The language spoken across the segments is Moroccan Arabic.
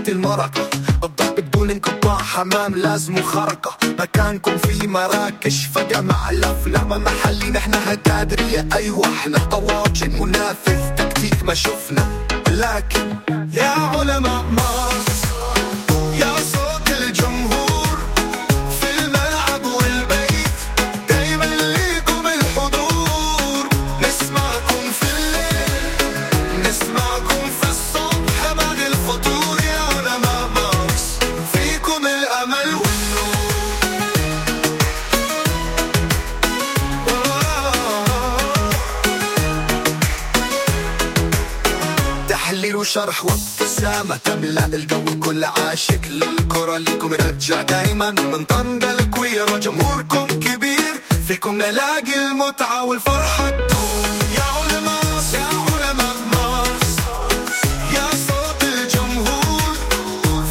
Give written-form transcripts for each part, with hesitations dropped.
وقت المرقة، الضرب بدون انقطاع، حمام لازم خرقة، مكانكم في مراكش فجمع الأفلام محلي، نحن هتادرية أيوة احنا طواجن منافذ تكتيك ما شفنا، لكن يا علماء مارس يا صوت الجمهور في الملعب والبيت، دايما ليكم الحضور، نسمعكم في الليل نسمعكم في الصبح بعد الفطور، يا علماء مارس فيكم الأمل والنور. تحليل وشرح وابتسامة تملأ الجو، كل عاشق للكرة ليكم رجع دايما، من طنجة للكويرة جمهوركم كبير، فيكم نلاقي المتعة والفرحة تدوم. يا علماء يا علماء مارس يا صوت الجمهور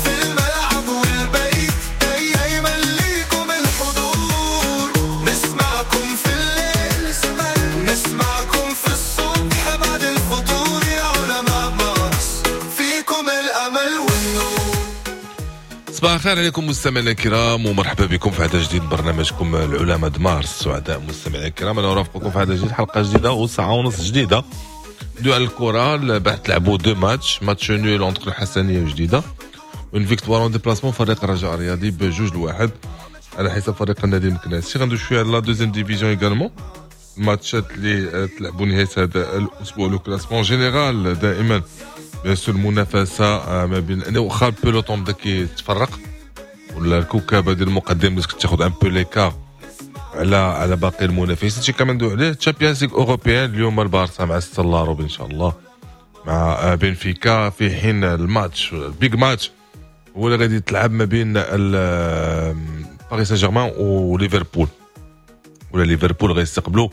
في الملعب والبيت، دايما ليكم الحضور، نسمعكم في الليل نسمعكم في الصبح بعد الفطور، يا علماء مارس فيكم الأمل والنور. صباح الخير عليكم مستمعينا الكرام، ومرحبا بكم في عدد جديد من برنامجكم العلماء د مارس. سعداء مستمعينا الكرام، انا ارافقكم في عدد جديد، حلقة جديدة وساعة ونص جديدة دو على الكره. بعد تلعبوا deux matchs، match nul entre الحسنيه وجديدة، une victoire en déplacement فريق الرجاء الرياضي ب2-1 على حساب فريق النادي المكناسي. غندوي شوية على la deuxième division également، الماتشات اللي تلعبوا نهاية هذا الاسبوع، le classement général دائما bien sûr المنافسة ما بين، واخا ال peloton بدا كيتفرق ولا الكوكبه ديال المقدم بدات كتاخذ un peu l'écart على باقي المنافسين. هادشي كامل ندوي عليه. Champions League européenne اليوم البارسا مع 6 لاروب ان شاء الله مع بنفيكا، في حين الماتش ال big match هو اللي غادي يتلعب ما بين باريس سان جيرمان وليفربول، ولا ليفربول غيستقبلوا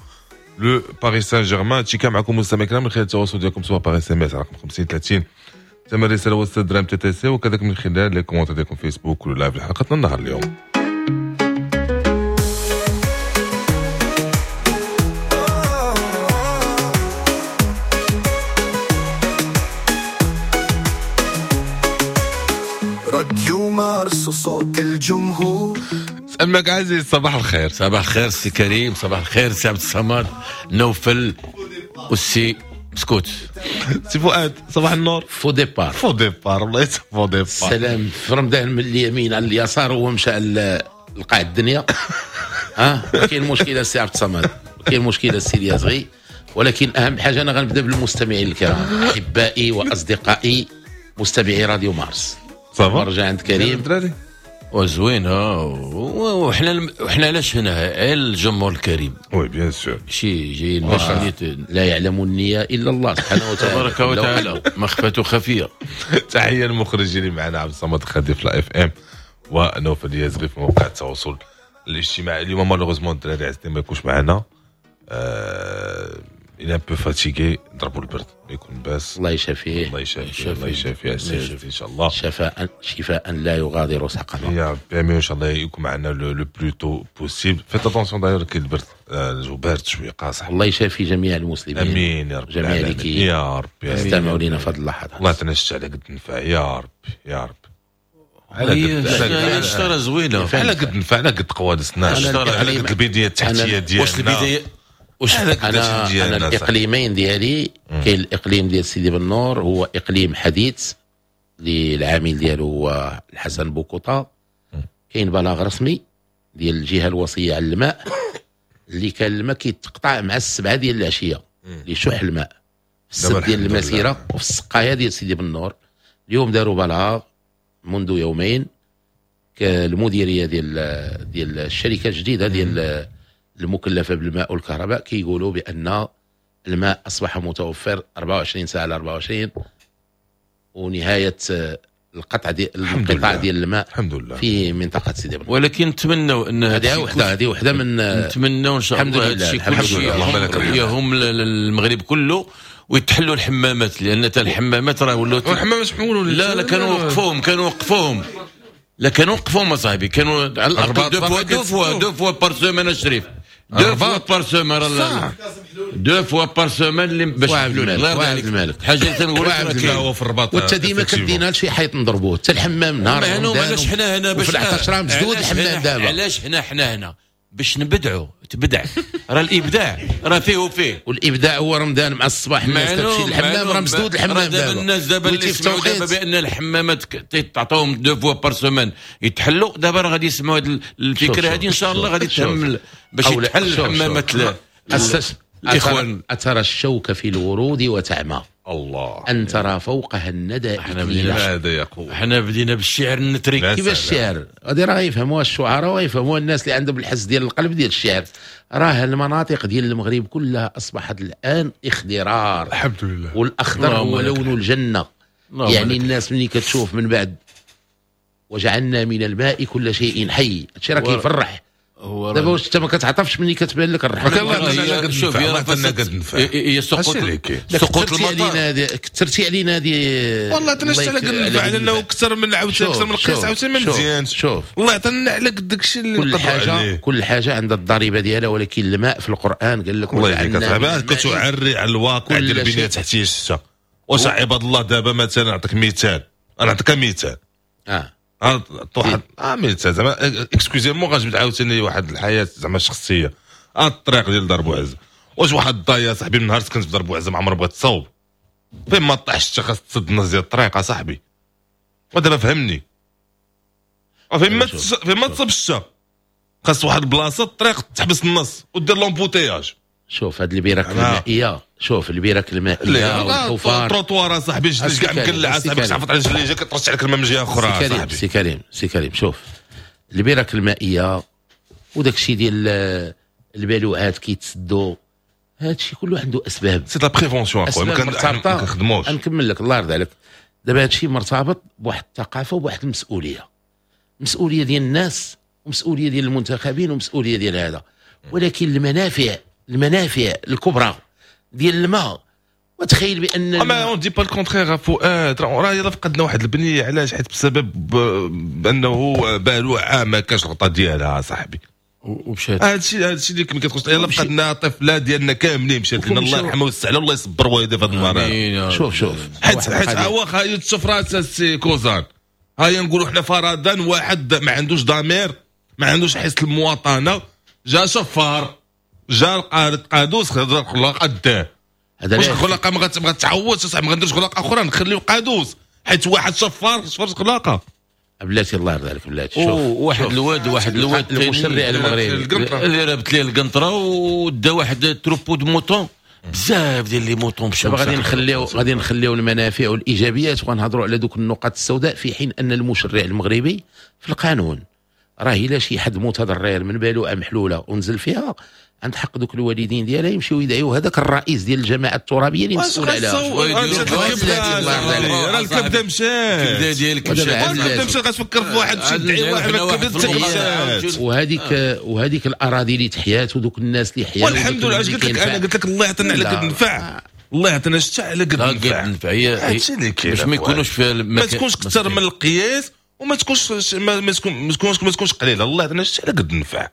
le باريس سان جيرمان. هادشي كان معكم مستمعي الكرام من خلال التواصل ديالكم سواء par SMS رقم 50 30 ثمن الرسالة وسط درهم TTC، وكذلك من خلال les commentaires ديالكم فيسبوك ولا live لحلقتنا النهار اليوم. راديو مارس وصوت الجمهور. سألمك عزيز، صباح الخير. صباح الخير سي كريم، صباح الخير سي عبد الصمد نوفل والسي مسكوت. سي فؤاد صباح النور. faux départ، faux départ والله faux départ. السلام في رمضان من اليمين على اليسار وهو مشى لقاع الدنيا. ها كاين مشكلة سي عبد الصمد، كاين مشكلة سي اليازغي، ولكن اهم حاجة انا غنبدا بالمستمعين الكرام احبائي واصدقائي مستمعي راديو مارس. ça va نرجع عند كريم الدراري وزوين. وحنا علاش هنا الجمهور الكريم؟ oui bien sûr، شي جايين باش لا يعلم النية الا الله سبحانه وتعالى تبارك وتعالى، مخفته خفيه. تحية للمخرجين اللي معنا عبد الصمد خدي في la FM ونوفل اليازغي في مواقع التواصل الاجتماعي. اليوم malheureusement الدراري عزيزين ما يكونش معنا، il est un peu fatigué، ضربوا البرد يكون باس. الله يشافيه، الله يشافيه، الله يشافيه ان شاء الله، شفاء شفاء لا يغادر سقما يا ربي. امين ان شاء الله يكون معنا le plus tôt possible. faites attention d'ailleurs كاين البرد، الجو بارد شوية قاصح. الله يشافي جميع المسلمين، امين يا رب، جميع اللي يا ربي استمعوا لنا في هذه اللحظات. الله يعطينا الشتا على قد النفع يا ربي يا رب. على قد الشتا زوينة، على قد النفع، على قد قوادسنا، على قد البنية التحتية ديالنا. واش البداية واش انا الاقليمين ديالي، كاين الاقليم ديال سيدي بنور هو اقليم حديث اللي العامل ديالو هو الحسن بوكوطا. كاين بلاغ رسمي ديال الجهة الوصية على الماء اللي كان الماء كيتقطع مع 7 ديال العشية لشح الماء في السد ديال المسيرة وفي السقاية ديال سيدي بنور. اليوم داروا بلاغ منذ يومين المديرية ديال الشركة الجديدة ديال المكلفه بالماء والكهرباء كيقولوا بان الماء اصبح متوفر 24 ساعة على 24، ونهاية القطع ديال القطاع ديال الماء الحمد لله في منطقة سيدي بنور. ولكن نتمنوا ان هذه وحده من نتمنوا ان شاء الله هذا الشيء يهم المغرب كله ويتحلوا الحمامات، لان حتى الحمامات راه ولاو الحمامات حولوا. لا لا كانوا وقفوهم، كانوا وقفوهم، لا كانوا وقفوهم اصاحبي، كانوا على الاقل deux fois par semaine الشريف. deux fois par semaine، deux fois par semaine اللي باش الملك حاجة اللي تنقول لك هو في الرباط. وانت ديما كدينا لشي حيط نضربوه حتى الحمام نهار علاش حنا هنا باش في 11 مسدود الحمام دابا؟ علاش حنا هنا باش نبدعوا؟ تبدع راه الابداع راه فيه وفيه، والابداع هو رمضان مع الصباح الناس تمشي للحمام راه مسدود الحمام دابا. الناس دابا اللي سمعوا دابا بان الحمامات تعطوهم deux fois par semaine يتحلوا، دابا راه غادي يسمعوا هذه الفكرة هذه ان شاء الله غادي تهم باش يتحل الحمامات. الاخوان اترى الشوك في الورود وتعمى الله ان ترى فوقها الندى. هذا يقول حنا بدينا بالشعر النتري. كيفاش الشعر؟ غادي راه يفهموها الشعراء ويفهموها الناس اللي عندهم الحس ديال القلب ديال الشعر. راه المناطق ديال المغرب كلها اصبحت الان اخضرار الحمد لله، والاخضر هو لون الجنة. يعني الناس ملي كتشوف من بعد وجعلنا من الماء كل شيء حي، هادشي راه كيفرح. دابا واش انت ما كتعطفش ملي كتبان لك الرحمة؟ شوف يا سقوط المطر كثرتي علينا هذه والله تنشت على قد النفع، لانه اكثر من عاوتاني اكثر من القياس عاوتاني ما مزيانش. شوف الله يعطينا على قد داكشي اللي كل حاجة كل حاجة عندها الضريبة ديالها، ولكن الماء في القران قال لك الله يهديك اصاحبي كتعري على الواقع ديال البنية التحتية الشتا. واش عباد الله دابا مثلا نعطيك مثال، انا نعطيك مثال واحد مثال زعما excusez-moi غنجبد عاوتاني واحد الحياة زعما الشخصية. الطريق ديال دار بوعزه، واش واحد الضايا صاحبي من نهار سكنت في دار بوعزه ما عمر بغات تصاوب، فين ما طاحش خاص تسد النص ديال الطريق اصاحبي. ودابا فهمني، فين ما تصب الشتا خاص واحد البلاصة الطريق تحبس النص ودير l'embouteillage. شوف هاد البراك المائية، شوف البراك المائية والحفار التروطوار اصاحبي جلج كاع مقلع اصاحبي، كتعفط على جليجه كترش عليك الماء من جهة اخرى اصاحبي. سي كريم سي كريم شوف البراك المائية وداك الشيء ديال البالوعات كيتسدوا، هذا الشيء كله عنده اسباب. c'est la prévention اخويا، ما كنخدموش. نكمل لك الله يرضي عليك. دابا هذا الشيء مرتبط بواحد الثقافة وبواحد المسؤولية، مسؤولية ديال الناس ومسؤولية ديال المنتخبين ومسؤولية ديال هذا، ولكن المنافع الكبرى ديال الماء. وتخيل بان ما on dit pas le contraire فؤاد، راه يلا فقدنا واحد البنية. علاش؟ حيت بسبب بانه بالوعه ما كانش الغطاء ديالها صاحبي ومشات. هادشي اللي كتقول يلا فقدنا طفله ديالنا كاملين مشات لنا، الله يرحمها ويوسع عليها والله يصبر والديه في هذا النهار. شوف حيت واخا هي تشوف السي كوزان، هيا نقولوا حنا فرضا واحد ما عندوش ضمير، ما عندوش حس المواطنة، جا شفار، جا قادوس خلاق قداه. واش الخلاقه ما غتعوضش اصاحبي؟ ما غنديرش خلاقه اخرى نخليو قادوس حيت واحد شفار شفر خلاقه. بلاتي الله يرضي عليك بلاتي. شوف واحد الواد المشرع المغربي اللي رابط ليه القنطرة ودا واحد troupeau de moutons، بزاف ديال les moutons مشاو. غادي نخليو المنافع والايجابيات وغنهضروا على دوك النقط السوداء، في حين ان المشرع المغربي في القانون راه الا شي حد متضرر من بالوعه محلولة ونزل فيها عند حق دوك الوالدين ديالها يمشيو يدعيو هذاك الرئيس ديال الجماعة الترابيه اللي مسؤول عليها. راه الكبده مشات، الكبده ديالك مشات، الكبده مشات. غتفكر في واحد شي يدعي واحد الكبده مشات. وهذيك الاراضي اللي تحيات ودوك الناس اللي حيات، والحمد لله. اش قلت لك انا؟ قلت لك الله يعطينا على قد النفع، الله يعطينا الشتا على قد النفع. هادشي اللي كاين باش ما يكونوش في ما تكونش اكثر من القياس وما تكونش ما تكونش قليله. الله يعطينا الشتا على قد النفع،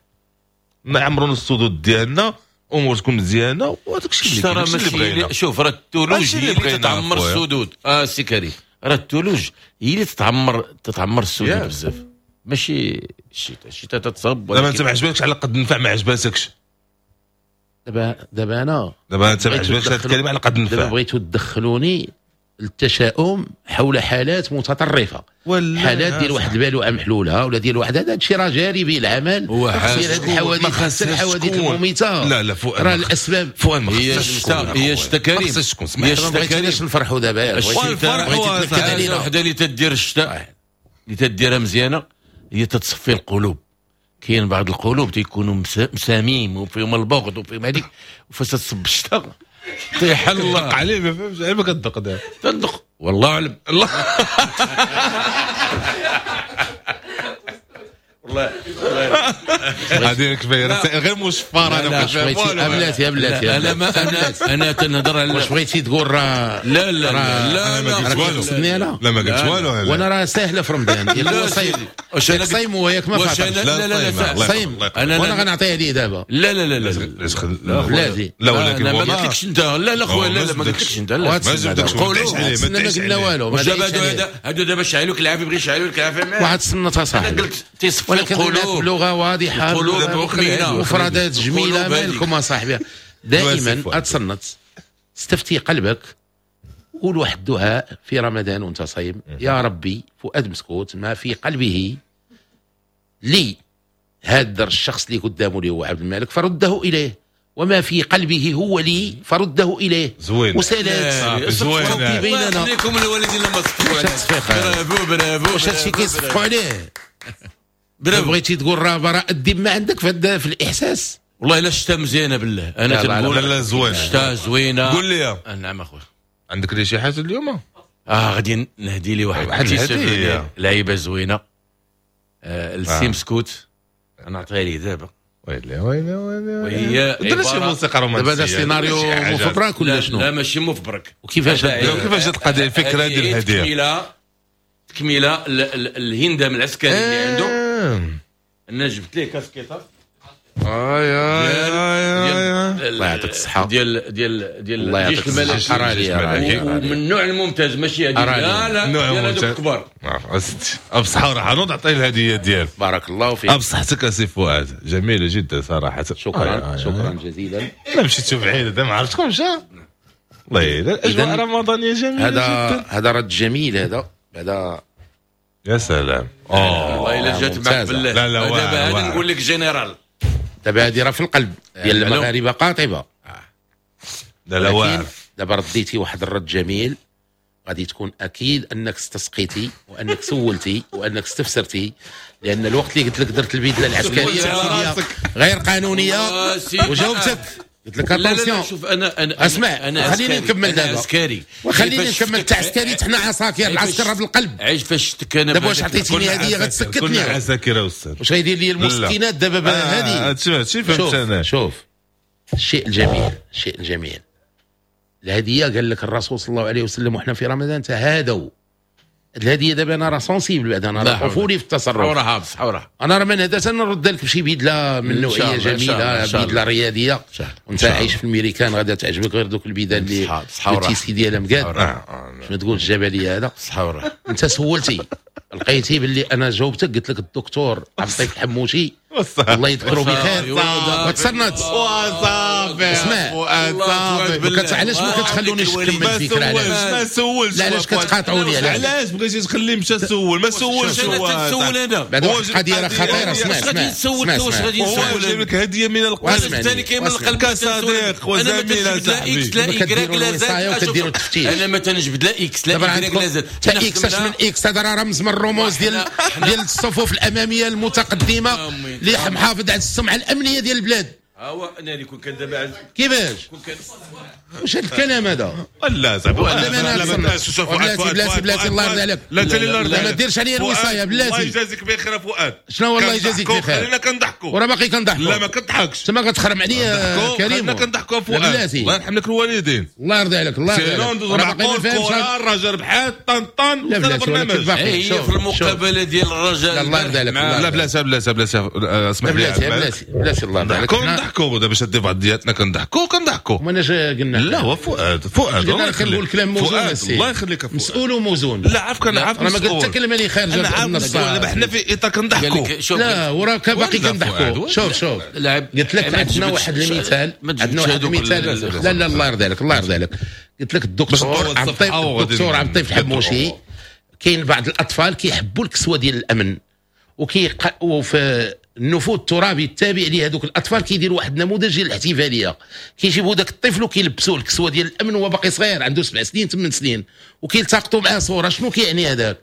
نعمروا السدود ديالنا، امور تكون مزيانه، وهذاك الشيء اللي بغينا. شوف راه الثلوج هي اللي تتعمر السدود. سي كريم، راه الثلوج هي اللي تتعمر السدود بزاف، ماشي الشتاء. الشتاء تتصب. دابا انت ما عجبكش على قد النفع، ما عجباتكش. دابا انا دابا انت ما عجبكش هذه الكلمة على قد النفع. دابا بغيتو تدخلوني التشاؤم حول حالات متطرفة، حالات ديال واحد البالوعه محلولة ولا ديال واحد هذا الشيء راه جاري به العمل. ديال هذه الحوادث، الحوادث المميته. لا فؤاد، راه الاسباب فؤاد ما هي الشتا كريم، هي الشتا كريم. نفرحوا دابا الفرح وحده اللي تدير الشتاء اللي تديرها مزيانه هي تتصفي القلوب. كاين بعض القلوب تيكونوا مساميم وفيهم البغض وفيهم هذيك، وفاش تصب الشتاء طيح الله عليه. ما فهمتش عيب كتدق دابا، تدق والله اعلم. الله والله هذه كفاية رسائل غير مشفرة. انا ما فاهم والو. بلاتي بلاتي، انا ما انا تنهضر على واش بغيتي تقول راه لا لا لا ما قلت والو. لا ما قلت والو، وانا راه ساهله في رمضان. ياك صايم، واش صايم وياك ما فاطرش؟ لا لا لا صايم، وانا غنعطيها ليه دابا. لا لا لا لا بلاتي. لا ولكن ما قلتلكش انت. لا لا خويا، لا لا ما قلتلكش انت. لا ما جبدكش، ما قلنا والو. دابا هادو دابا شعلوك العافية، بغي يشعلوك العافية معاك. واحد السنة صاحبي، انا قلت تيصفي القلوب بلغه واضحة، مفردات جميلة. مالكم اصاحبي؟ دائما اتصنت، استفتي قلبك، قول واحد الدعاء في رمضان وانت صايم: يا ربي فؤاد مسكوت ما في قلبه لي هذا الشخص اللي قدامه اللي هو عبد الملك فرده اليه، وما في قلبه هو لي فرده اليه. زوين وسلام زوين بيننا. خليكم الوالدين لما صفقوا عليه. برافو برافو. واش هادشي كيصفقوا عليه؟ برافو. بغيتي تقول راه براء الذمة عندك في الاحساس. والله الا الشتا مزيانه بالله. انا تنقول لا لا زوين، الشتا زوينة. قول لي. نعم اخويا، عندك لي شي حاجة اليوم؟ غادي نهدي لي واحد الهدية، لعيبة زوينة، السي مسكوت، نعطيها ليه دابا. ويلي ويلي ويلي. وهي درنا شي موسيقى رومانسية. دابا هذا السيناريو مفبرك ولا شنو؟ لا ماشي مفبرك. وكيفاش كيفاش جات القضية الفكرة ديال الهدية؟ تكمله الهندام العسكري اللي عنده. انا جبت ليه كاسكيطه. اي اي اي، الله يعطيك الصحة. ديال ديال ديال الجيش الملكي، ومن النوع الممتاز، ماشي هذه لا لا ديال هذوك الكبار. بصحة وراحة. نوض عطية الهدية ديالك. بارك الله فيك. بصحتك اسي فؤاد، جميلة جدا صراحة. شكرا شكرا جزيلا. لا مشيتو بعيد، ما عرفتكمش. الله الاجواء رمضانيه جميلة جدا. هذا رد جميل، هذا يا سلام. والله الا جات معك بالله. لا لا دابا هذا نقول لك général. دابا هذه راه في القلب ديال المغاربة قاطبة. لا لا واعر. دابا رديتي واحد الرد جميل، غادي تكون اكيد انك استسقيتي وانك سولتي وانك استفسرتي، لان الوقت اللي قلت لك درت البدلة العسكرية غير قانونية وجاوبتك قلت لك attention. شوف انا اسمع، انا خليني نكمل دابا. عسكري، وخليني نكمل. تاع عسكري حنا عساكر، العسكر في القلب. عايش فاش شتك انا دابا. واش عطيتيني هديه غتسكتني؟ كنا عساكر يا استاذ. واش غيدير لي المسكينات دابا هذه؟ هادشي فهمت انا. شوف الشيء الجميل، الشيء الجميل الهدية، قال لك الرسول صلى الله عليه وسلم وحنا في رمضان تهادوا. الهدية دابا انا راه sensible، بعد انا راه طفولي في التصرف. حورها بصح انا راه من هذا نرد لك بشي بدله من نوعية جميلة، بدله رياضية، وانت عايش في الميريكان غادا تعجبك غير دوك البدل اللي ال tissu ديالها مقاد، شنو تقول الجبلية هذا. انت سولتي لقيتي باللي انا جاوبتك، قلت لك الدكتور عبد اللطيف الحموشي الله يذكره بخير وتصنت. وصافي اسمع، علاش ما كتخلونيش نكمل الفكرة؟ علاش ما سولش؟ لا علاش كتقاطعوني؟ علاش بغيتي تخليه مشى سول؟ ما سولش. انا تنسول انا. بعد واحد القضية راه خطيرة. اسمع اسمع، اسمع، واش غادي نسول؟ جايب لك هديه من القلب الثاني كاين من القلب كصديق وزميل. لا X لا Y لا Z، انا ما تنجبد لا X لا Y لا Z. تا X اش من X؟ هذا راه رمز من الرموز ديال الصفوف الامامية المتقدمة اللي محافظ على السمعة الامنية ديال البلاد. هو انا اللي كون كان دابا كيفاش؟ واش هذا الكلام هذا؟ لا زعما لا بلاتي بلاتي بلاتي، الله يرضي عليك. لا لا ما ديرش عليا الوصايه بلاتي. الله يجازيك بخير فؤاد. شنو هو الله يجازيك بخير؟ خلينا كنضحكوا وراه باقي كنضحكوا. لا ما كنضحكش، تما كتخرم عليا كريم. خلينا كنضحكوا فؤاد. الله يرحم لك الوالدين. الله يرضي عليك، الله يرضي عليك. راه باقي ما فاهمش. الرجاء ربحات طن طن. لا بلاتي، هي في المقابلة ديال الرجاء. الله يرضي عليك. لا بلاتي بلاتي بلاتي، اسمح لي بلاتي بلاتي بلاتي، الله يرضي عليك. كنضحكوا دابا شادين بعضياتنا، كنضحكوا كنضحكوا. ما انا قلنا لا هو فؤاد فؤاد الله يخليك، نقول كلام موزون. الله يخليك فؤاد، مسؤول وموزون. لا عارفك، انا عارف. انا ما قلت حتى كلمة اللي خارجه من النص. دابا حنا في اطار كنضحكوا. لا وراك باقي كنضحكوا. شوف شوف، قلت لك عندنا واحد المثال، عندنا واحد المثال. لا لا الله يرضي عليك، الله يرضي عليك. قلت لك الدكتور عبد اللطيف، الدكتور عبد اللطيف الحموشي، كاين بعض الاطفال كيحبوا الكسوة ديال الامن، وفي النفوذ الترابي التابع لهذوك الاطفال كيديروا واحد النموذج ديال الاحتفالية، كيجيبوا ذاك الطفل وكيلبسوه الكسوة ديال الامن وهو باقي صغير عنده 7 سنين 8 سنين، وكيلتقطوا معاه صوره. شنو كيعني هذاك؟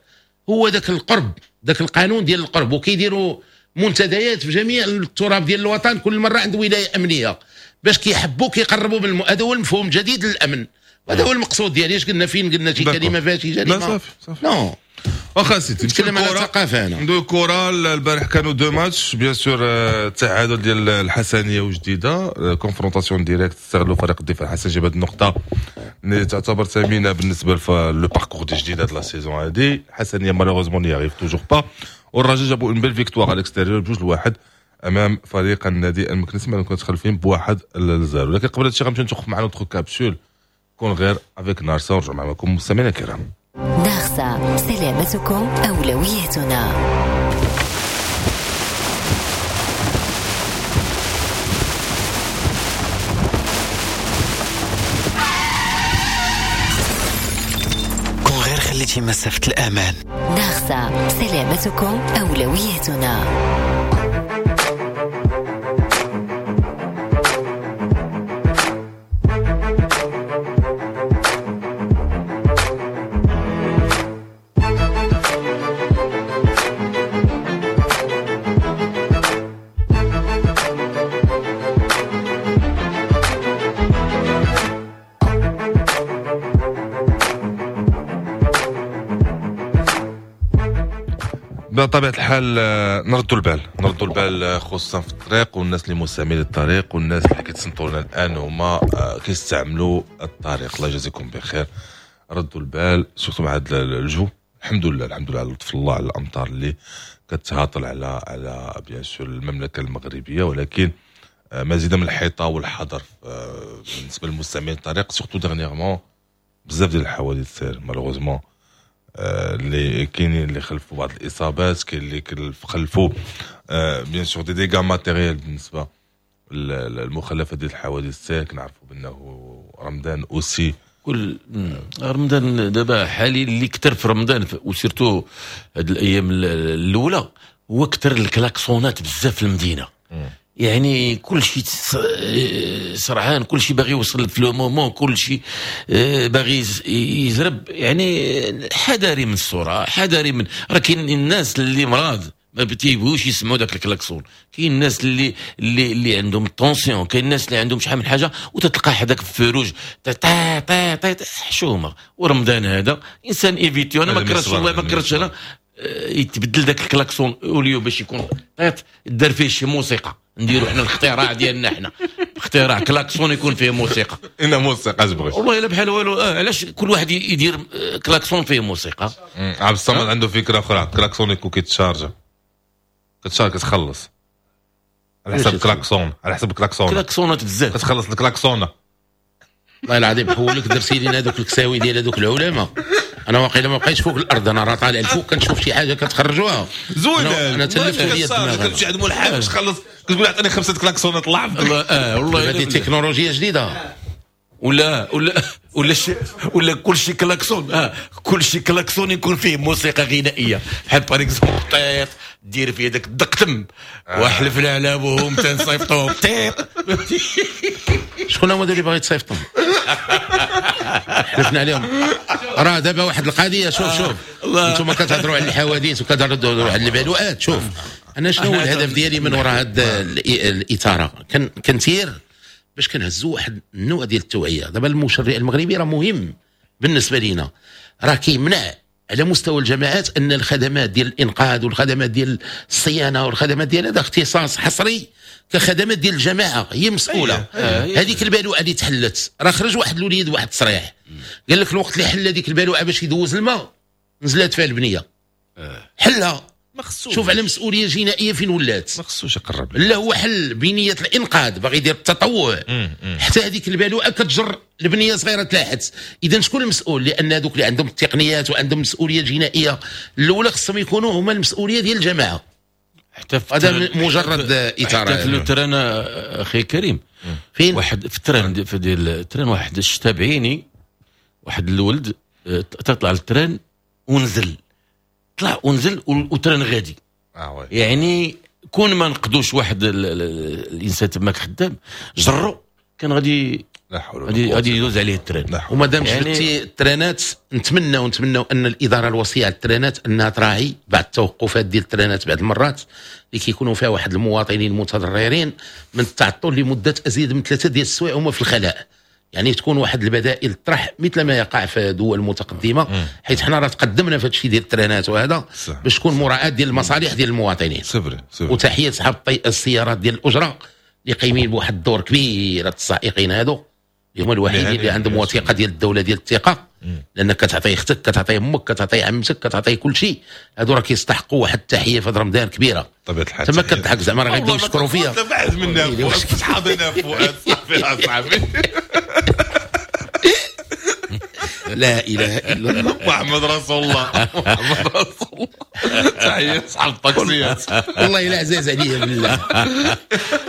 هو ذاك القرب، ذاك القانون ديال القرب. وكيديروا منتديات في جميع التراب ديال الوطن، كل مرة عند ولاية امنية، باش كيحبوا كيقربوا من هذا هو المفهوم الجديد للامن، هذا هو المقصود ديالي. اش قلنا؟ فين قلنا شي كلمة فيها شي جريمة؟ لا صافي صافي. non. واخا سيدي نتكلم على الثقافة. انا ندوي الكره. البارح كانوا deux matchs bien sûr، التعادل ديال الحسنيه وجديدة، confrontation directe، استغلوا فريق الدفاع الحسن جاب هذه النقطة اللي تعتبر ثمينة بالنسبة le parcours ديال جديدة هاد la saison هادي. الحسنيه malheureusement n'y arrive toujours pas، والرجاء جابوا une belle victoire à l'extérieur 2-1 امام فريق النادي المكنسي، ما كانوا خلفين ب1-0. ولكن قبل هادشي غنمشيو نتوقف مع notre capsule كون غير avec نارسا، ونرجع معكم مستمعينا الكرام. نارسا، سلامتكم أولويتنا. كون غير خليتي مسافة الأمان. نارسا، سلامتكم أولويتنا. بطبيعة الحال نردوا البال، نردوا البال خصوصا في الطريق، والناس اللي مستعملين الطريق والناس اللي كيتصنتوا لنا الان هما كيستعملوا الطريق. الله يجازيكم بخير، ردوا البال surtout مع هذا الجو. الحمد لله، الحمد لله على لطف الله، على الامطار اللي كتهاطل على bien sûr المملكة المغربية، ولكن مزيدا من الحيطة والحذر بالنسبة للمستعملين الطريق، surtout dernièrement بزاف ديال الحوادث سير malheureusement اللي كاينين اللي خلفوا بعض الاصابات، كاين اللي خلفوا bien sûr des dégâts matériels بالنسبة للمخلفات ديال الحوادث السير. كنعرفوا بانه رمضان aussi كل رمضان دابا حالي اللي كثر في رمضان و surtout هاد الايام الاولى هو كثر الكلاكسونات بزاف في المدينة. يعني كل شيء سرعان، كل شيء باغي يوصل في le moment، كل شيء باغي يزرب. يعني حذاري من السرعة، حذاري من راه كاين الناس اللي مرض ما تيبغوش يسمعوا داك الكلاكسون، كاين الناس اللي اللي اللي عندهم tension، كاين الناس اللي عندهم شحال من حاجة، وتتلقى حداك في ال feu rouge تا تا تا حشومه. ورمضان هذا انسان éviter. انا ما كرهتش والله ما كرهتش انا يتبدل داك ال klaxon au lieu باش يكون طيط دار فيه شي موسيقى، نديرو حنا الاختراع ديالنا، حنا اختراع كلاكسون يكون فيه موسيقى. إن موسيقى تبغي والله الا بحال والو. علاش كل واحد يدير كلاكسون فيه موسيقى؟ عبد الصمد عنده فكرة اخرى، كلاكسون يكون كيتشارجا، كتشارج كتخلص على حسب الكلاكسون، على حسب الكلاكسون، كلاكسونات بزاف كتخلص الكلاكسون. والله العظيم حولك درتي لينا هذوك الكساوي ديال هذوك العلماء. انا واقيلا ما بقيتش فوق الارض، انا راه طالع الفوق كنشوف شي حاجة كتخرجوها زوينة. انا تلفت لي الدماغ، كتمشي عند مول الحاج تخلص كتقول عطيني 5 كلاكسونات الله يحفظك. والله هذه تكنولوجيا جديدة. ولا ولا ولا شي ولا كل شي كلاكسون، كل شي كلاكسون يكون فيه موسيقى غنائية، بحال par exemple طيط دير فيه داك الدقتم واحلفنا على ابوهم تنصيفطوهم طيط. شكون هما اللي باغي تصيفطهم؟ حلفنا عليهم. راه دابا واحد القضية، شوف شوف انتم كتهضروا على الحوادث وكتهضروا على البلوءات. شوف انا شنو هو الهدف ديالي من وراء هاد الاثارة؟ كنثير باش كنهزوا واحد النوع ديال التوعية. دابا المشرع المغربي راه مهم بالنسبة لينا، راه كيمنع على مستوى الجماعات ان الخدمات ديال الانقاذ والخدمات ديال الصيانة والخدمات ديال هذا اختصاص حصري كخدمات ديال الجماعة هي مسؤولة. هذيك البالوعه اللي تحلت راه خرج واحد الوليد واحد التصريح قال لك الوقت اللي حل هذيك البالوعه باش يدوز الماء نزلات فيها البنية. حلها، شوف على مسؤولية جنائية فين ولات. ما خصوش يقرب، لا هو حل بنيه الانقاذ باغي يدير التطوع. حتى هذيك البالوعه كتجر البنية صغيرة تلاحت. اذا شكون المسؤول؟ لان هذوك اللي عندهم التقنيات وعندهم مسؤولية جنائية الاولى خصهم يكونوا هما المسؤولية ديال الجماعة. حتى في هذا مجرد اثاره. حتى في ال train اخي كريم، فين واحد في ال train في ديال ال train واحد الشتا بعيني، واحد الولد تطلع لل train ونزل، طلع ونزل وال train غادي. يعني كون ما نقدوش واحد الانسان تماك خدام جرو كان غادي غادي يدوز عليه ال train. ومادام جبتي الترانات، نتمنى ان الادارة الوصية على الترانات انها تراعي بعض التوقفات ديال الترانات بعض المرات اللي كيكونوا فيها واحد المواطنين متضررين من التعطل لمدة ازيد من 3 ديال السوايع هما في الخلاء. يعني تكون واحد البدائل طرح مثل ما يقع في دول متقدمة، حيث حنا راه تقدمنا في هذا الشيء ديال الترانات وهذا باش تكون مراعاة ديال المصالح ديال المواطنين. c'est vrai. وتحية صحاب السيارات ديال الاجرة اللي قايمين بواحد الدور كبير. السائقين هادو اللي هما الوحيدين اللي عندهم وثيقة ديال الدولة ديال الثقة، لانك كتعطي اختك، كتعطي امك، كتعطي عمتك، كتعطي كل شيء. هادو راه كيستحقوا واحد التحية في رمضان كبيرة. طبيعة الحال تما كتضحك زعما راه غيبداو يشكروا فيا. بعد منا صحابنا فؤاد صافي اصاحبي. لا اله الا الله محمد رسول الله، محمد رسول الله. تحية صحاب الطاكسيات والله الا عزاز عليا بالله،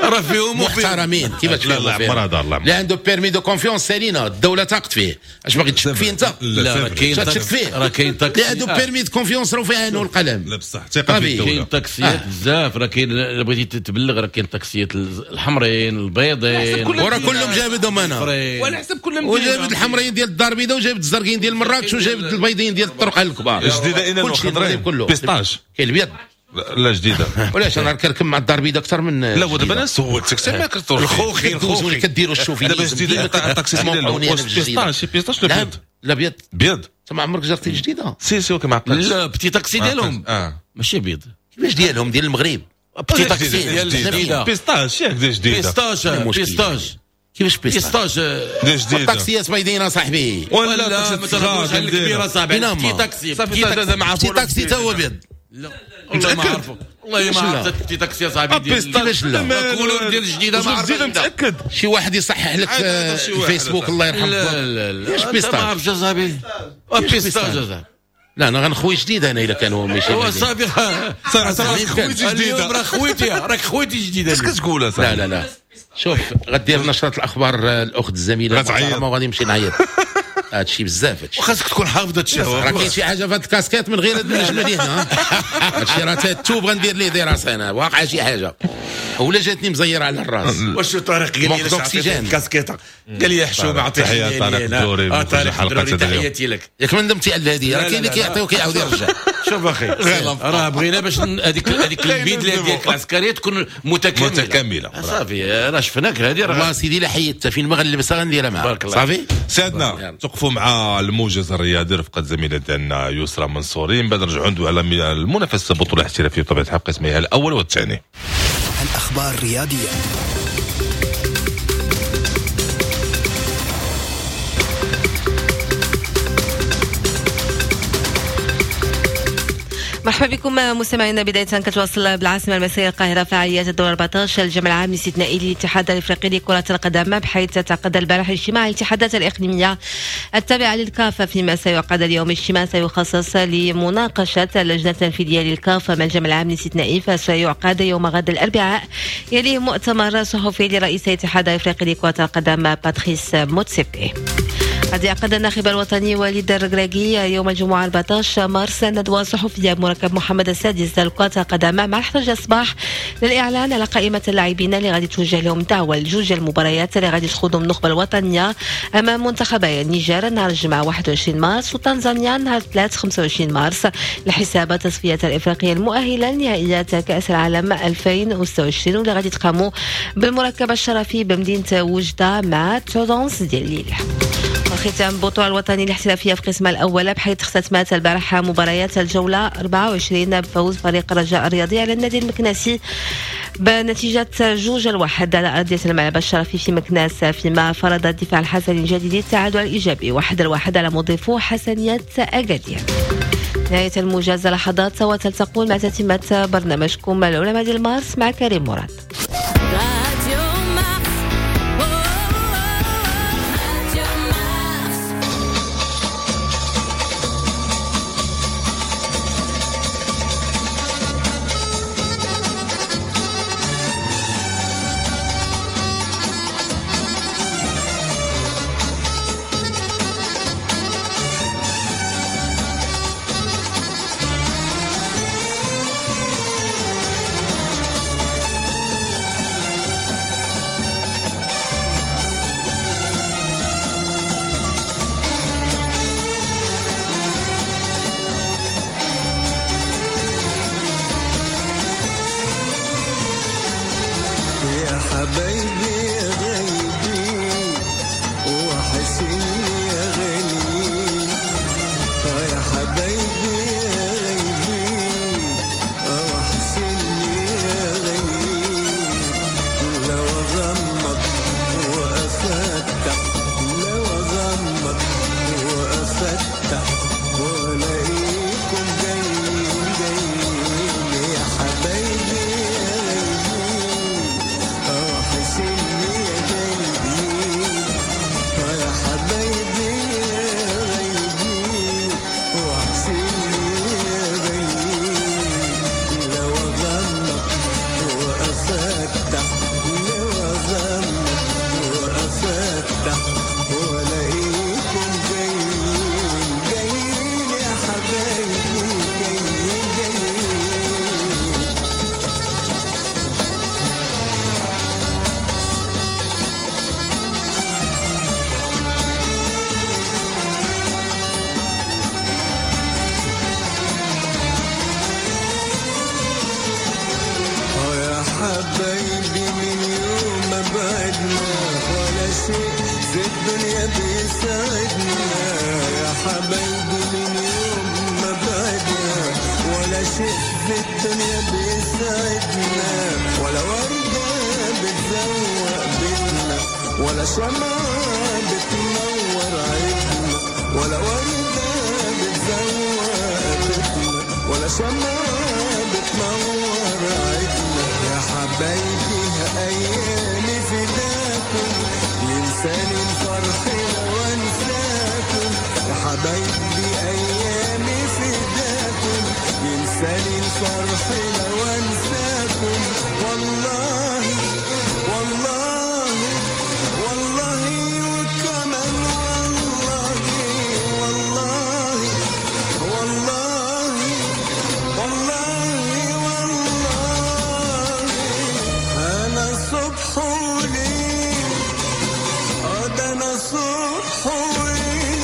راه فيهم محترمين. كيفاش لا لا عمر هذا الله اللي عنده permis de confiance سالينا الدولة تاقت فيه. اش باغي تشك فيه انت؟ لا راه كاين تشك فيه، راه كاين طاكسي اللي عنده permis de confiance راه فيه عينه القلم. لا بصح ثقة في الدولة. كاين طاكسيات بزاف، راه كاين الا بغيتي تبلغ راه كاين طاكسيات الحمرين البيضين وراه كلهم جابدهم انا، وعلى حسب كل مدينة. وجابد الحمرين ديال الدار البيضاء، وجابد الزرقين ديال مراكش، وجابد البيضين ديال الطرق الكبار. جديدة اين الخضرين pistache كاين الابيض. لا جديدة. ولاش انا كنركب مع الدار البيضاء اكثر من لا ودابا انا سولتك تما كتروح الخوخي الخوخي كديروا ال chauvinisme. دابا جديدة الطاكسي ديال واش pistache pistache ولا بيض؟ لا بيض. بيض. انت ما عمرك جربتي الجديدة؟ si si ما عقلتش. لا petit taxi ديالهم ماشي بيض. كيفاش ديالهم؟ ديال المغرب petit taxi ديال الجديدة pistache ياك ديال جديدة. pistache pistache كيفاش pistache ديال جديدة؟ الطاكسيات بيضين صاحبي. ولا ما تهضروش على الكبيرة صاحبي. petit taxi petit taxi تا هو بيض. لا والله ما عارفه، والله ما عرفت petit taxi صاحبي ديال كيفاش لا couleur ديال الجديدة ما عرفتش. متاكد شي واحد يصحح لك الفيسبوك الله يرحم. لا لا لا pistache ما عرفتش اصاحبي pistache صاحبي. لا انا غنخوي جديد انا الا كان هو ماشي هو صافي صافي خويتي جديدة. اليوم راه خويتي، راك خويتي جديدة. اش كتقول اصاحبي؟ لا لا لا شوف غدير نشره الاخبار الاخت الزميلة المحترمة وغادي نمشي نعيط. هادشي بزاف هادشي، وخاصك تكون حافظ هادشي. راه كاين شي حاجة في هاد الكاسكيت من غير هاد النجمة ديالنا. هادشي راه التوب غندير ليه دراسة انا، واقعه شي حاجة ولا جاتني مزيره على الراس. واش طارق قال لي علاش الكاسكيطه؟ قال لي حشومه عطية. تحية طارق الدوري، طارق الدوري تحياتي لك. ياك ما ندمتي على هذه؟ راه كاين اللي كيعطي وكيعاود يرجع. شوف اخي راه بغينا باش هذيك البدلة ديالك العسكرية تكون متكاملة متكاملة. صافي راه شفناك هذه. راه والله سيدي لا حيدتها فين ما غنلبسها غنديرها معاك. صافي سيادنا توقفوا مع الموجز الرياضي رفقه زميلة ديالنا يسرى منصوري. من بعد نرجعوا ندوي على المنافسة البطولة الاحترافية بطبيعة الحال قسميها الاول والثاني. الاخبار الرياضية. مرحبا بكم مستمعينا. بداية كتواصل بالعاصمة المصرية القاهرة فعاليات الدور 14 الجمع العام الاستثنائي للاتحاد الافريقي لكرة القدم، بحيث تعقد البارح اجتماع الاتحادات الإقليمية التابعة للكاف، فيما سيعقد اليوم اجتماع سيخصص لمناقشة اللجنة التنفيذية للكاف مع الجمع العام الاستثنائي، فسيعقد يوم غد الأربعاء، يليه مؤتمر صحفي لرئيس الاتحاد الافريقي لكرة القدم باتريس موتسيبي. قد يعقد الناخب الوطني وليد الركراكي يوم الجمعة 14 مارس ندوة صحفية بمركب محمد السادس لكرة القدم مع 11 الصباح للإعلان على قائمة اللاعبين اللي غادي توجه لهم دعوة لجوج المباريات اللي غادي تخوضهم النخبة الوطنية أمام منتخبي النيجر نهار الجمعة 21 مارس وتنزانيا نهار 3 25 مارس لحساب تصفيات الإفريقية المؤهلة لنهائيات كأس العالم 2026 واللي غادي تقاموا بالمركب الشرفي بمدينة وجدة مع 9:30 ديال الليل. ختام البطولة الوطنية الاحترافية في قسمها الأول، بحيث اختتمت البارحة مباريات الجولة 24 بفوز فريق الرجاء الرياضي على النادي المكناسي بنتيجة 2-1 على أرضية الملعب الشرفي في مكناس، فيما فرض الدفاع الحسني الجديد التعادل الإيجابي 1-1 على مضيفه حسنية أكادير. نهاية الموجز لحظات وتلتقون مع تتمة برنامجكم العلماء ديال مارس مع كريم مراد. حبايبي غايبين. حبايبي من يوم ما بعدنا ولا شيء في الدنيا بيساعدنا. يا حبايبي من يوم ما بعدنا ولا شيء في الدنيا بيساعدنا، ولا وردة بتزوق بيتنا، ولا شمعة بتنور عيدنا، ولا وردة بتزوق بيتنا، ولا شمعة بتنور عيدنا. يا حبايبي أيامي فداكم، ينساني الفرح لو أنساكم. يا حبايبي أيامي فداكم، ينساني الفرح لو أنساكم. والله والله والله وكمان والله والله والله والله والله. أنا صبح وليل، ده أنا صبح وليل،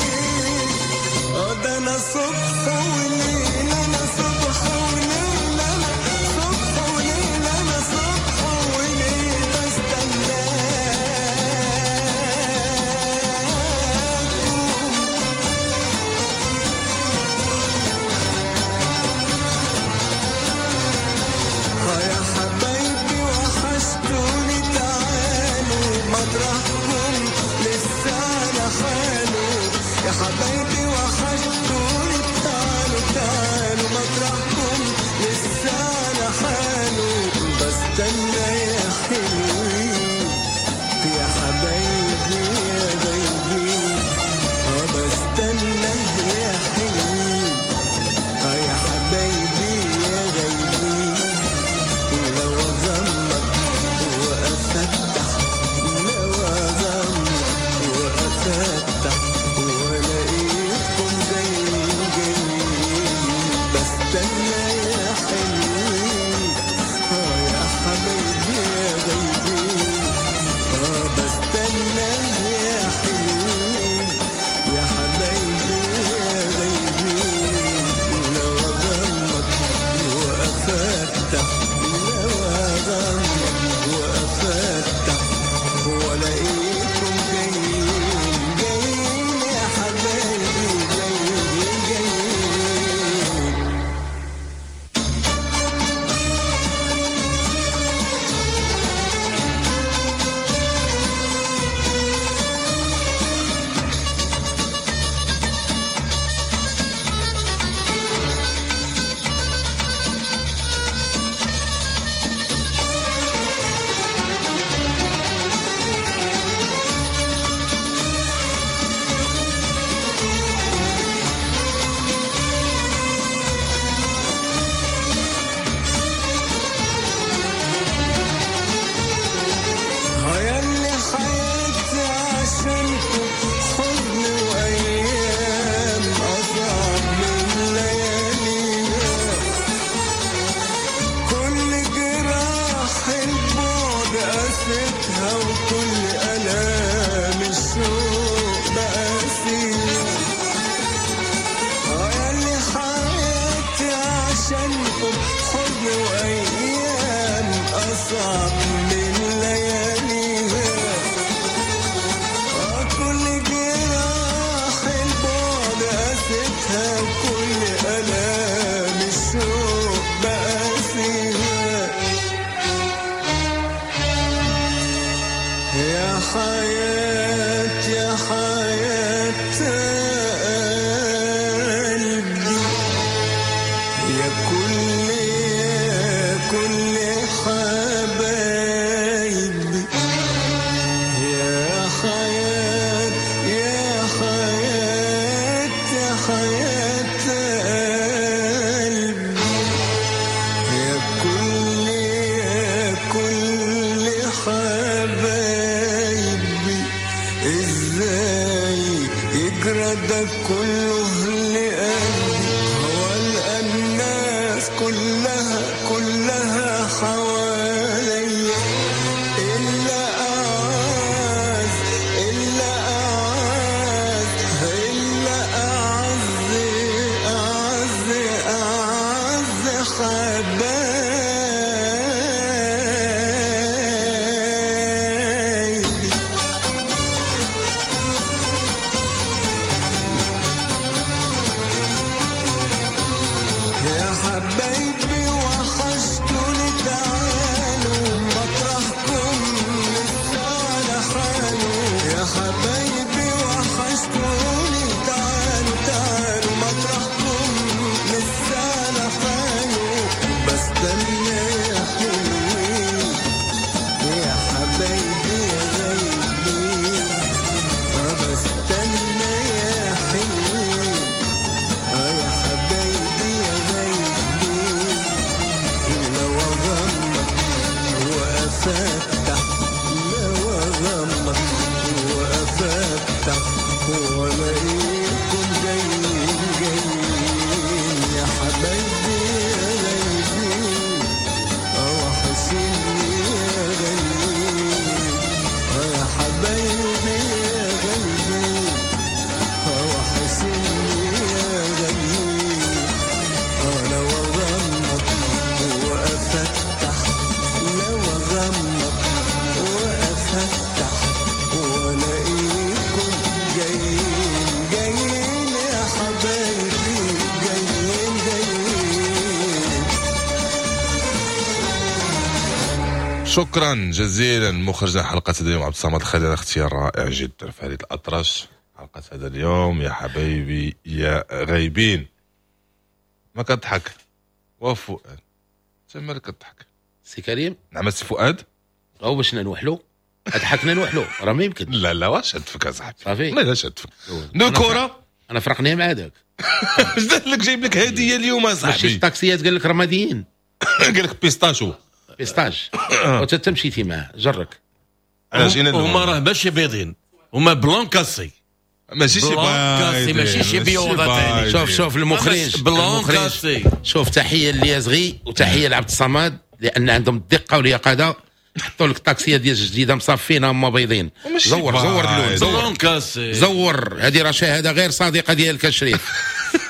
ده أنا صبح وليل، أنا صبح وليل، أنا صبح وليل، أنا صبح وليل بستناكم. يا حبايبي وحشتوني، تعالوا مطرحكم لسه على حاله. يا حبايبي وحشتوني، تعالوا تعالوا مطرحكم لسه على حاله. بستنى يا حلوين، يا حبايبي يا غايبين، بستنى يا حلوين، يا حبايبي يا غايبين. لو أغمض وأفتح، لو أغمض وأفتح وألاقيكم جايين جايين. بستنى يا حلوين، يا حبايبي يا غايبين، بستنى يا حلوين، يا حبايبي يا غايبين. لو أغمض وأفتح، لو أغمض وأفتح وألاقيكم جايين جايين. يا حبايبي جايين جايين. يا اللي حياتي عشانكم حزن وأيام أصعب من لياليها، كل جراح البعد قاستها، وكل آلام الشوق بقاسيها. يا اللي حياتي عشانكم حزن وأيام أصعب من لياليها، كل جراح البعد قاستها، وكل آلام الشوق بقاسيها. يا حياة يا حياة قلبي، يا كل يا كل حبايبي، يا حياة يا حياة يا حياة قلبي، يا كل يا كل حبايبي. ازاي يجرى ده كله لقلبي، هو الناس كلها كلها حواليا، إلا أعز إلا أعز إلا أعز أعز أعز حبايبي. شكرا جزيلا مخرجنا حلقة هذا اليوم عبد الصمد الخليل، اختيار رائع جدا فريد الاطرش حلقة هذا اليوم. يا حبايبي يا غايبين، ما كتضحك وفؤاد، انت مالك كتضحك؟ سي كريم. نعم سي فؤاد. او باش نوحلو، ضحكنا نوحلو راه ما يمكن. لا لا واش شد فيك اصاحبي؟ صافي لا لا شد فيك ندوي كره. انا فرقني مع هذاك. اش دار لك؟ جايب لك هديه اليوم اصاحبي. ماشي الطاكسيات قال لك رماديين، قال لك pistache. pistache وانت مشيتي معاه جرك. علاش؟ هما راه ماشي بيضين، هما blanc cassé، ماشي شي cassé، ماشي شي بيوضه. شوف شوف المخرج blanc cassé. شوف تحية لليازغي وتحية لعبد الصمد لان عندهم الدقة واليقظه. حطوا لك الطاكسيه ديال الجديدة مصفين هما بيضين. زور زور اللون، زور cassé، زور. هذه راه شهادة غير صادقة ديالك الشريف.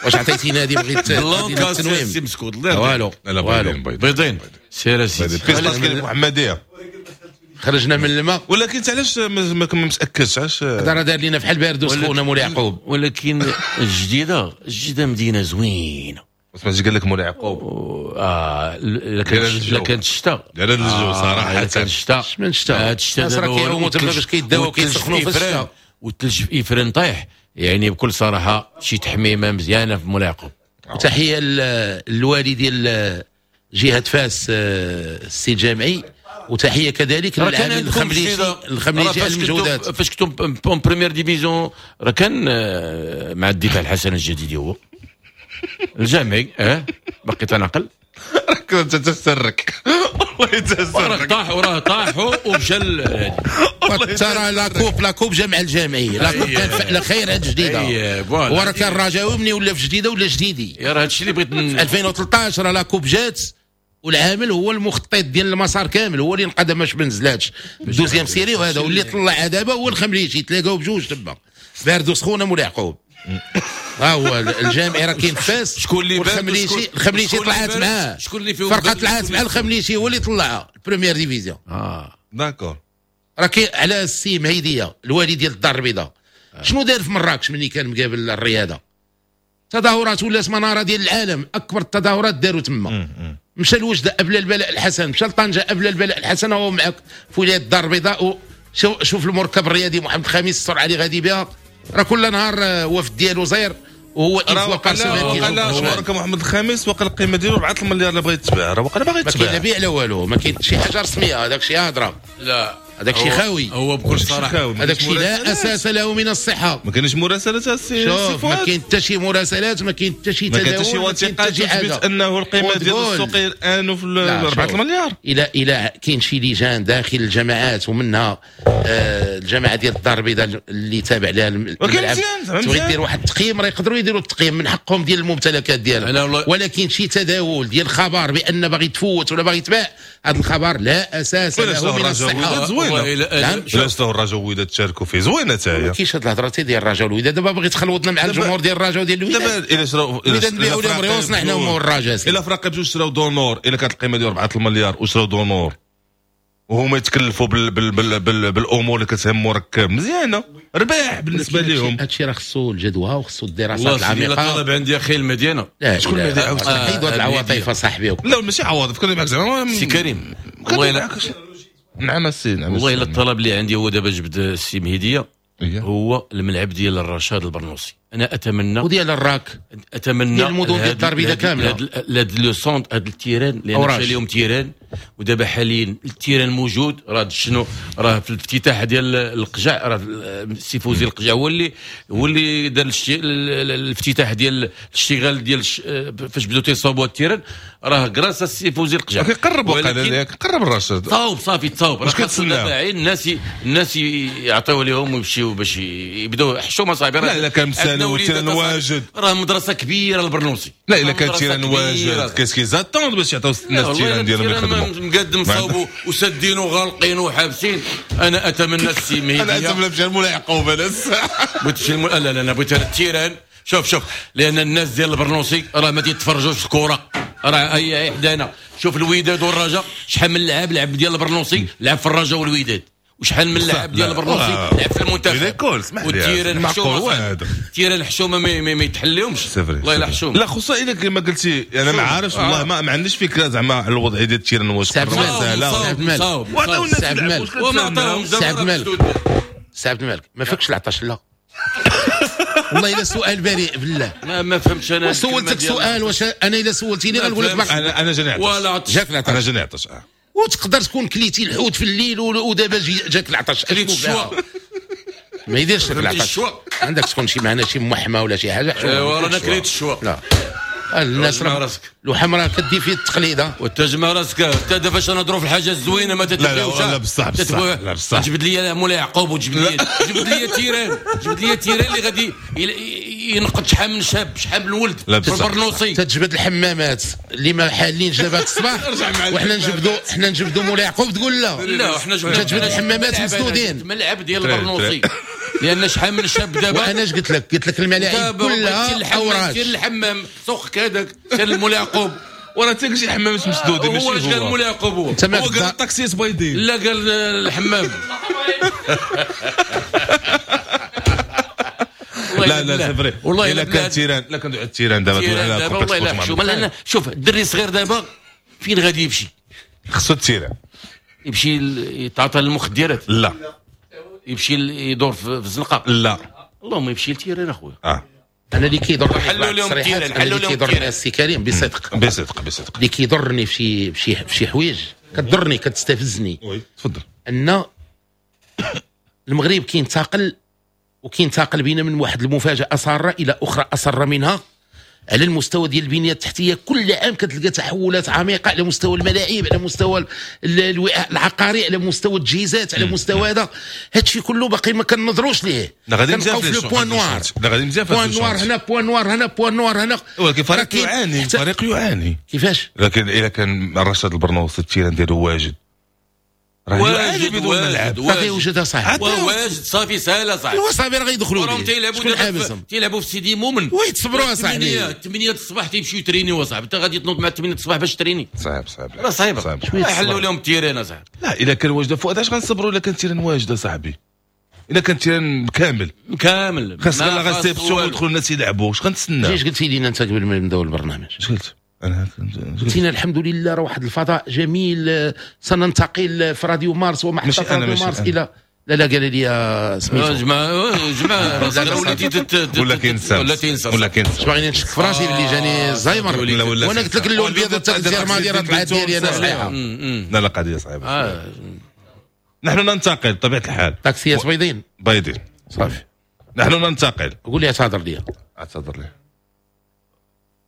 واش عطيتينا هذه؟ بغيت blanc cassé سي مسكوت. والو والو بيضين. سير اسيدي pistache المحمدية. خرجنا من الماء. ولكن علاش ما متاكدش؟ علاش هذا راه دار لينا فحال بارد وسخونه مولاي يعقوب. ولكن الجديدة الجديدة مدينة زوينة. سمعتي قال لك مولاي يعقوب الا كانت الشتاء دار الجو صراحة. الا كانت الشتاء من الشتاء هاد الشتاء راه كيعوموا تما باش كيداو كيسخنوا في الشتاء والثلج في افران طايح. يعني بكل صراحة شي تحميمه مزيانه في مولاي يعقوب. تحية للوالي ديال جهة فاس السي الجامعي، وتحية كذلك للعامل الخمليجي الخمليجي على المجهودات. فاش كنتم en première division راه كان مع الدفاع الحسن الجديدي هو الجامعي. بقيت تنعقل. راك انت تسرك والله تسرك. وراه طاحوا ومشى ترى la coupe la coupe جمع الجامعي. la coupe كان فعل خير عند جديدة. وراه كان رجاوي مني ولا في جديدة ولا جديدي. يا راه هادشي اللي بغيت. 2013 راه la coupe جات والعامل هو المخطط ديال المسار كامل، هو اللي نقدم باش ما نزلاتش deuxième série. وهذا واللي طلع دابا هو الخمليجي، تلاقاو بجوج تما بارد وسخونه مولاي يعقوب. ها هو الجامعي راه كاين فاس. شكون اللي الخمليشي؟ الخمليشي طلعت معاه. شكون اللي فيهم فرقه طلعت مع الخمليشي هو اللي طلعها ال première division. d'accord. راه كاين على السي مهيديه الوالي ديال الدار البيضاء. شنو دار في مراكش ملي كان مقابل الرياضة؟ تظاهرات ولات منارة ديال العالم، اكبر التظاهرات داروا تما. مشى لوجده قبل البلاء الحسن، مشى لطنجه قبل البلاء الحسن، هو معك في ولاية الدار البيضاء. شوف المركب الرياضي محمد الخامس السرعة اللي غادي بها، راه كل نهار وفد ديالو زير وهو une fois par semaine. قال مركب محمد الخامس وقال القيمة ديالو 4 المليار اللي بغى يتباع، راه وقال باغي يتباع. ما كاين لا بيع لا والو، ما كاين شي حاجة رسمية، هذاك شي هضره. لا هذاك شي خاوي. هو بكل صراحة هذاك شي لا اساس له من الصحة. ما كاينش مراسلات السي. شوف ما كاين حتى شي مراسلات، ما كاين حتى شي تداول، ما كاين حتى شي وثيقة تثبت انه القيمة ديال السوق الان في 4 المليار. الى كاين شي لجان داخل الجماعات ومنها الجماعة ديال الدار البيضاء اللي تابع لها الملعب، تبغي دير واحد التقييم راه يقدروا يديروا التقييم من حقهم ديال الممتلكات ديالهم. ولكن شي تداول ديال خبر بان باغي تفوت ولا باغي يتباع، هذا الخبر لا اساس له من الصحة. نعم علاش الرجاء والوداد تشاركوا فيه زوينة حتى هي. ما كاينش هاد الهضرة ديال الرجاء والوداد. دابا بغيت تخلوطنا مع الجمهور ديال الرجاء وديال الوداد. دابا الا شراو الوداد نبيعوا لهم ريوسنا حنا هما والرجاء. الا فرق بجوج شراو دونور، الا كانت القيمة ديال 4 المليار وشراو دونور وهما يتكلفوا بال بال بال بال بالامور اللي كتهم مركب مزيانه، رباح بالنسبة لهم. هادشي راه خصو الجدوى وخصو الدراسات العميقة. والله طلب عندي اخي المدينة. شكون المدينة؟ حيدوا هاد العواطف اصاحبي. لا ماشي عواطف، كنا معاك زعما سي كريم. والله نعم السي نعم. والله الا الطلب اللي عندي هو دابا جبد السي مهديه هو الملعب ديال الرشاد البرنوسي. انا اتمنى وديال الراك، اتمنى ديال المدن ديال الدار البيضاء كاملة. هاد le centre، هاد ال terrain لان مشى لهم terrain، ودابا حاليا ال terrain موجود. راه شنو راه في الافتتاح ديال القجع، راه السي فوزي القجع هو اللي دار الافتتاح ديال الاشتغال ديال فاش بداو تيصاوبوا ال terrain، راه grâce السي فوزي القجع كيقرب وقال قرب الرشاد صاوب صافي تصاوب. راه خاصنا الناس يعطيو لهم ويمشيو باش يبداو حشومه صاحبي. لا كان مسالو وال terrain واجد، راه مدرسه كبيرة البرنوسي. لا الا كان ال terrain واجد qu'est-ce qu'ils attendent باش يعطيو الناس ال terrain ديالهم يخدموا. مقدم صوبوا وسدين وغالقين وحابسين. انا اتمنى السي مهدي، انا اتمنى نمشي لمولاي يعقوب. انا بغيت تمشي لا لا انا بغيت ال terrain. شوف لان الناس ديال البرنوسي راه ما تيتفرجوش الكره، راه هي حدانا. شوف الوداد والرجاء شحال من لعاب لعب ديال البرنوسي لعب في الرجاء والوداد، وشحال من لاعب ديال البرنوسي لعب في المنتخب. وال terrain حشومه، terrain حشومه ما يتحليهمش والله الا حشومه. لا خصوصا الا كما قلتي انا ما عارفش والله ما عنديش فكرة زعما على الوضعية ديال ال terrain واش سهلة. سي عبد الملك ما فكش العطش؟ لا والله الا سؤال بريء بالله ما فهمتش انا. سولتك سؤال، واش انا الا سولتيني غنقول لك انا جاني عطش. جاك العطش؟ انا جاني عطش. وتقدر تكون كليتي الحوت في الليل ودابا جاك العطش. كليت الشوا ما يديرش لك العطش. عندك تكون شي معنا شي محمى ولا شي حاجة. ايوا رانا كليت الشوا. لا الناس راه لوحم راه كدي فيه التقليد. وتجمع راسك حتى دابا فاش نهضروا في الحاجة الزوينة ما تتبعوش. لا بصح بصح لا بصح. جبد لي مولاي يعقوب وجبد لي جبد لي terrain، جبد لي terrain اللي غادي ينقد شحال من شاب، شحال من ولد في البرنوصي. تتجبد الحمامات اللي ما حالينش دابا الصباح، وحنا نجبدوا حنا نجبدوا مولاي يعقوب تقول لا لا حنا تجبد الحمامات مسدودين. الملعب ديال البرنوصي لان شحال من شاب دابا. وانا اش قلت لك؟ قلت لك الملاعب كلها اوراش. سير الحمام سوقك هذاك سير المولاي يعقوب. وراه حتى شي حمامات مسدودين ماشي هو. اش قال مولاي يعقوب؟ هو قال الطاكسيات بايضين. لا قال الحمام. لا لا c'est vrai والله الا كان terrain، لا كندوي على ال terrain دابا على والله الا حشومه. لان شوف الدري الصغير دابا فين غادي يمشي؟ خصو ال terrain يمشي يتعاطى للمخدرات؟ لا. يمشي يدور في الزنقة؟ لا. اللهم يمشي لل terrain اخويا. انا اللي كيضرني حلوا لهم ال terrain، حلوا لهم ال terrain السي كريم بصدق بصدق بصدق اللي كيضرني في شي حوايج كتضرني كتستفزني. oui تفضل. ان المغرب كينتقل وكينتقل بينا من واحد المفاجاة ساره الى اخرى اسر منها على المستوى ديال البنية التحتية. كل عام كتلقى تحولات عميقة على مستوى الملاعب، على مستوى الوعاء العقاري، على مستوى التجهيزات، على مستوى هذا. هادشي كله باقي ما كنظروش ليه. كنبقاو في le point noir. point noir هنا، point noir هنا، point noir هنا. ولكن فريق يعاني، فريق يعاني. كيفاش؟ لكن الا كان رشاد البرنوصي ال terrain ديالو واجد، واجد بدون ملعب راه غيوجدها صاحبي. واجد صافي سهلة صاحبي. ايوا صافي راه غيدخلوا ليه. تيلعبوا تيلعبوا في سيدي مومن. oui تصبروا اصاحبي. 8 الصباح تيمشيو يترينيو اصاحبي. انت غادي تنوض مع 8 الصباح باش تريني. صعيب صعيب راه صعيبة. حلوا لهم ال terrain اصاحبي. لا الا كان واجد فؤاد اش غنصبروا؟ الا كان terrain واجد اصاحبي، الا كان terrain كامل كامل خاص غير غنسيبسو ويدخلوا الناس يلعبوا. اش غنتسنى؟ اش قلتي لينا انت قبل ما نبداو البرنامج؟ اش قلت؟ انا قلت الحمد لله راه واحد الفضاء جميل، سننتقل في راديو مارس ومحطة راديو مارس الى لا لا قال لي سميتو جماعة جماعة وليتي ولا كينسى ولا كينسى. باغيني نشك في راسي باللي جاني الزهايمر، وانا قلت لك اللون الابيض تاع الجيرماني راه طلعت ديالي انا صحيحه. لا لا قضية صعيبة. نحن ننتقل بطبيعة الحال. طاكسيات بيضين بيضين صافي. نحن ننتقل. قول لي اعتذر لي. اعتذر لي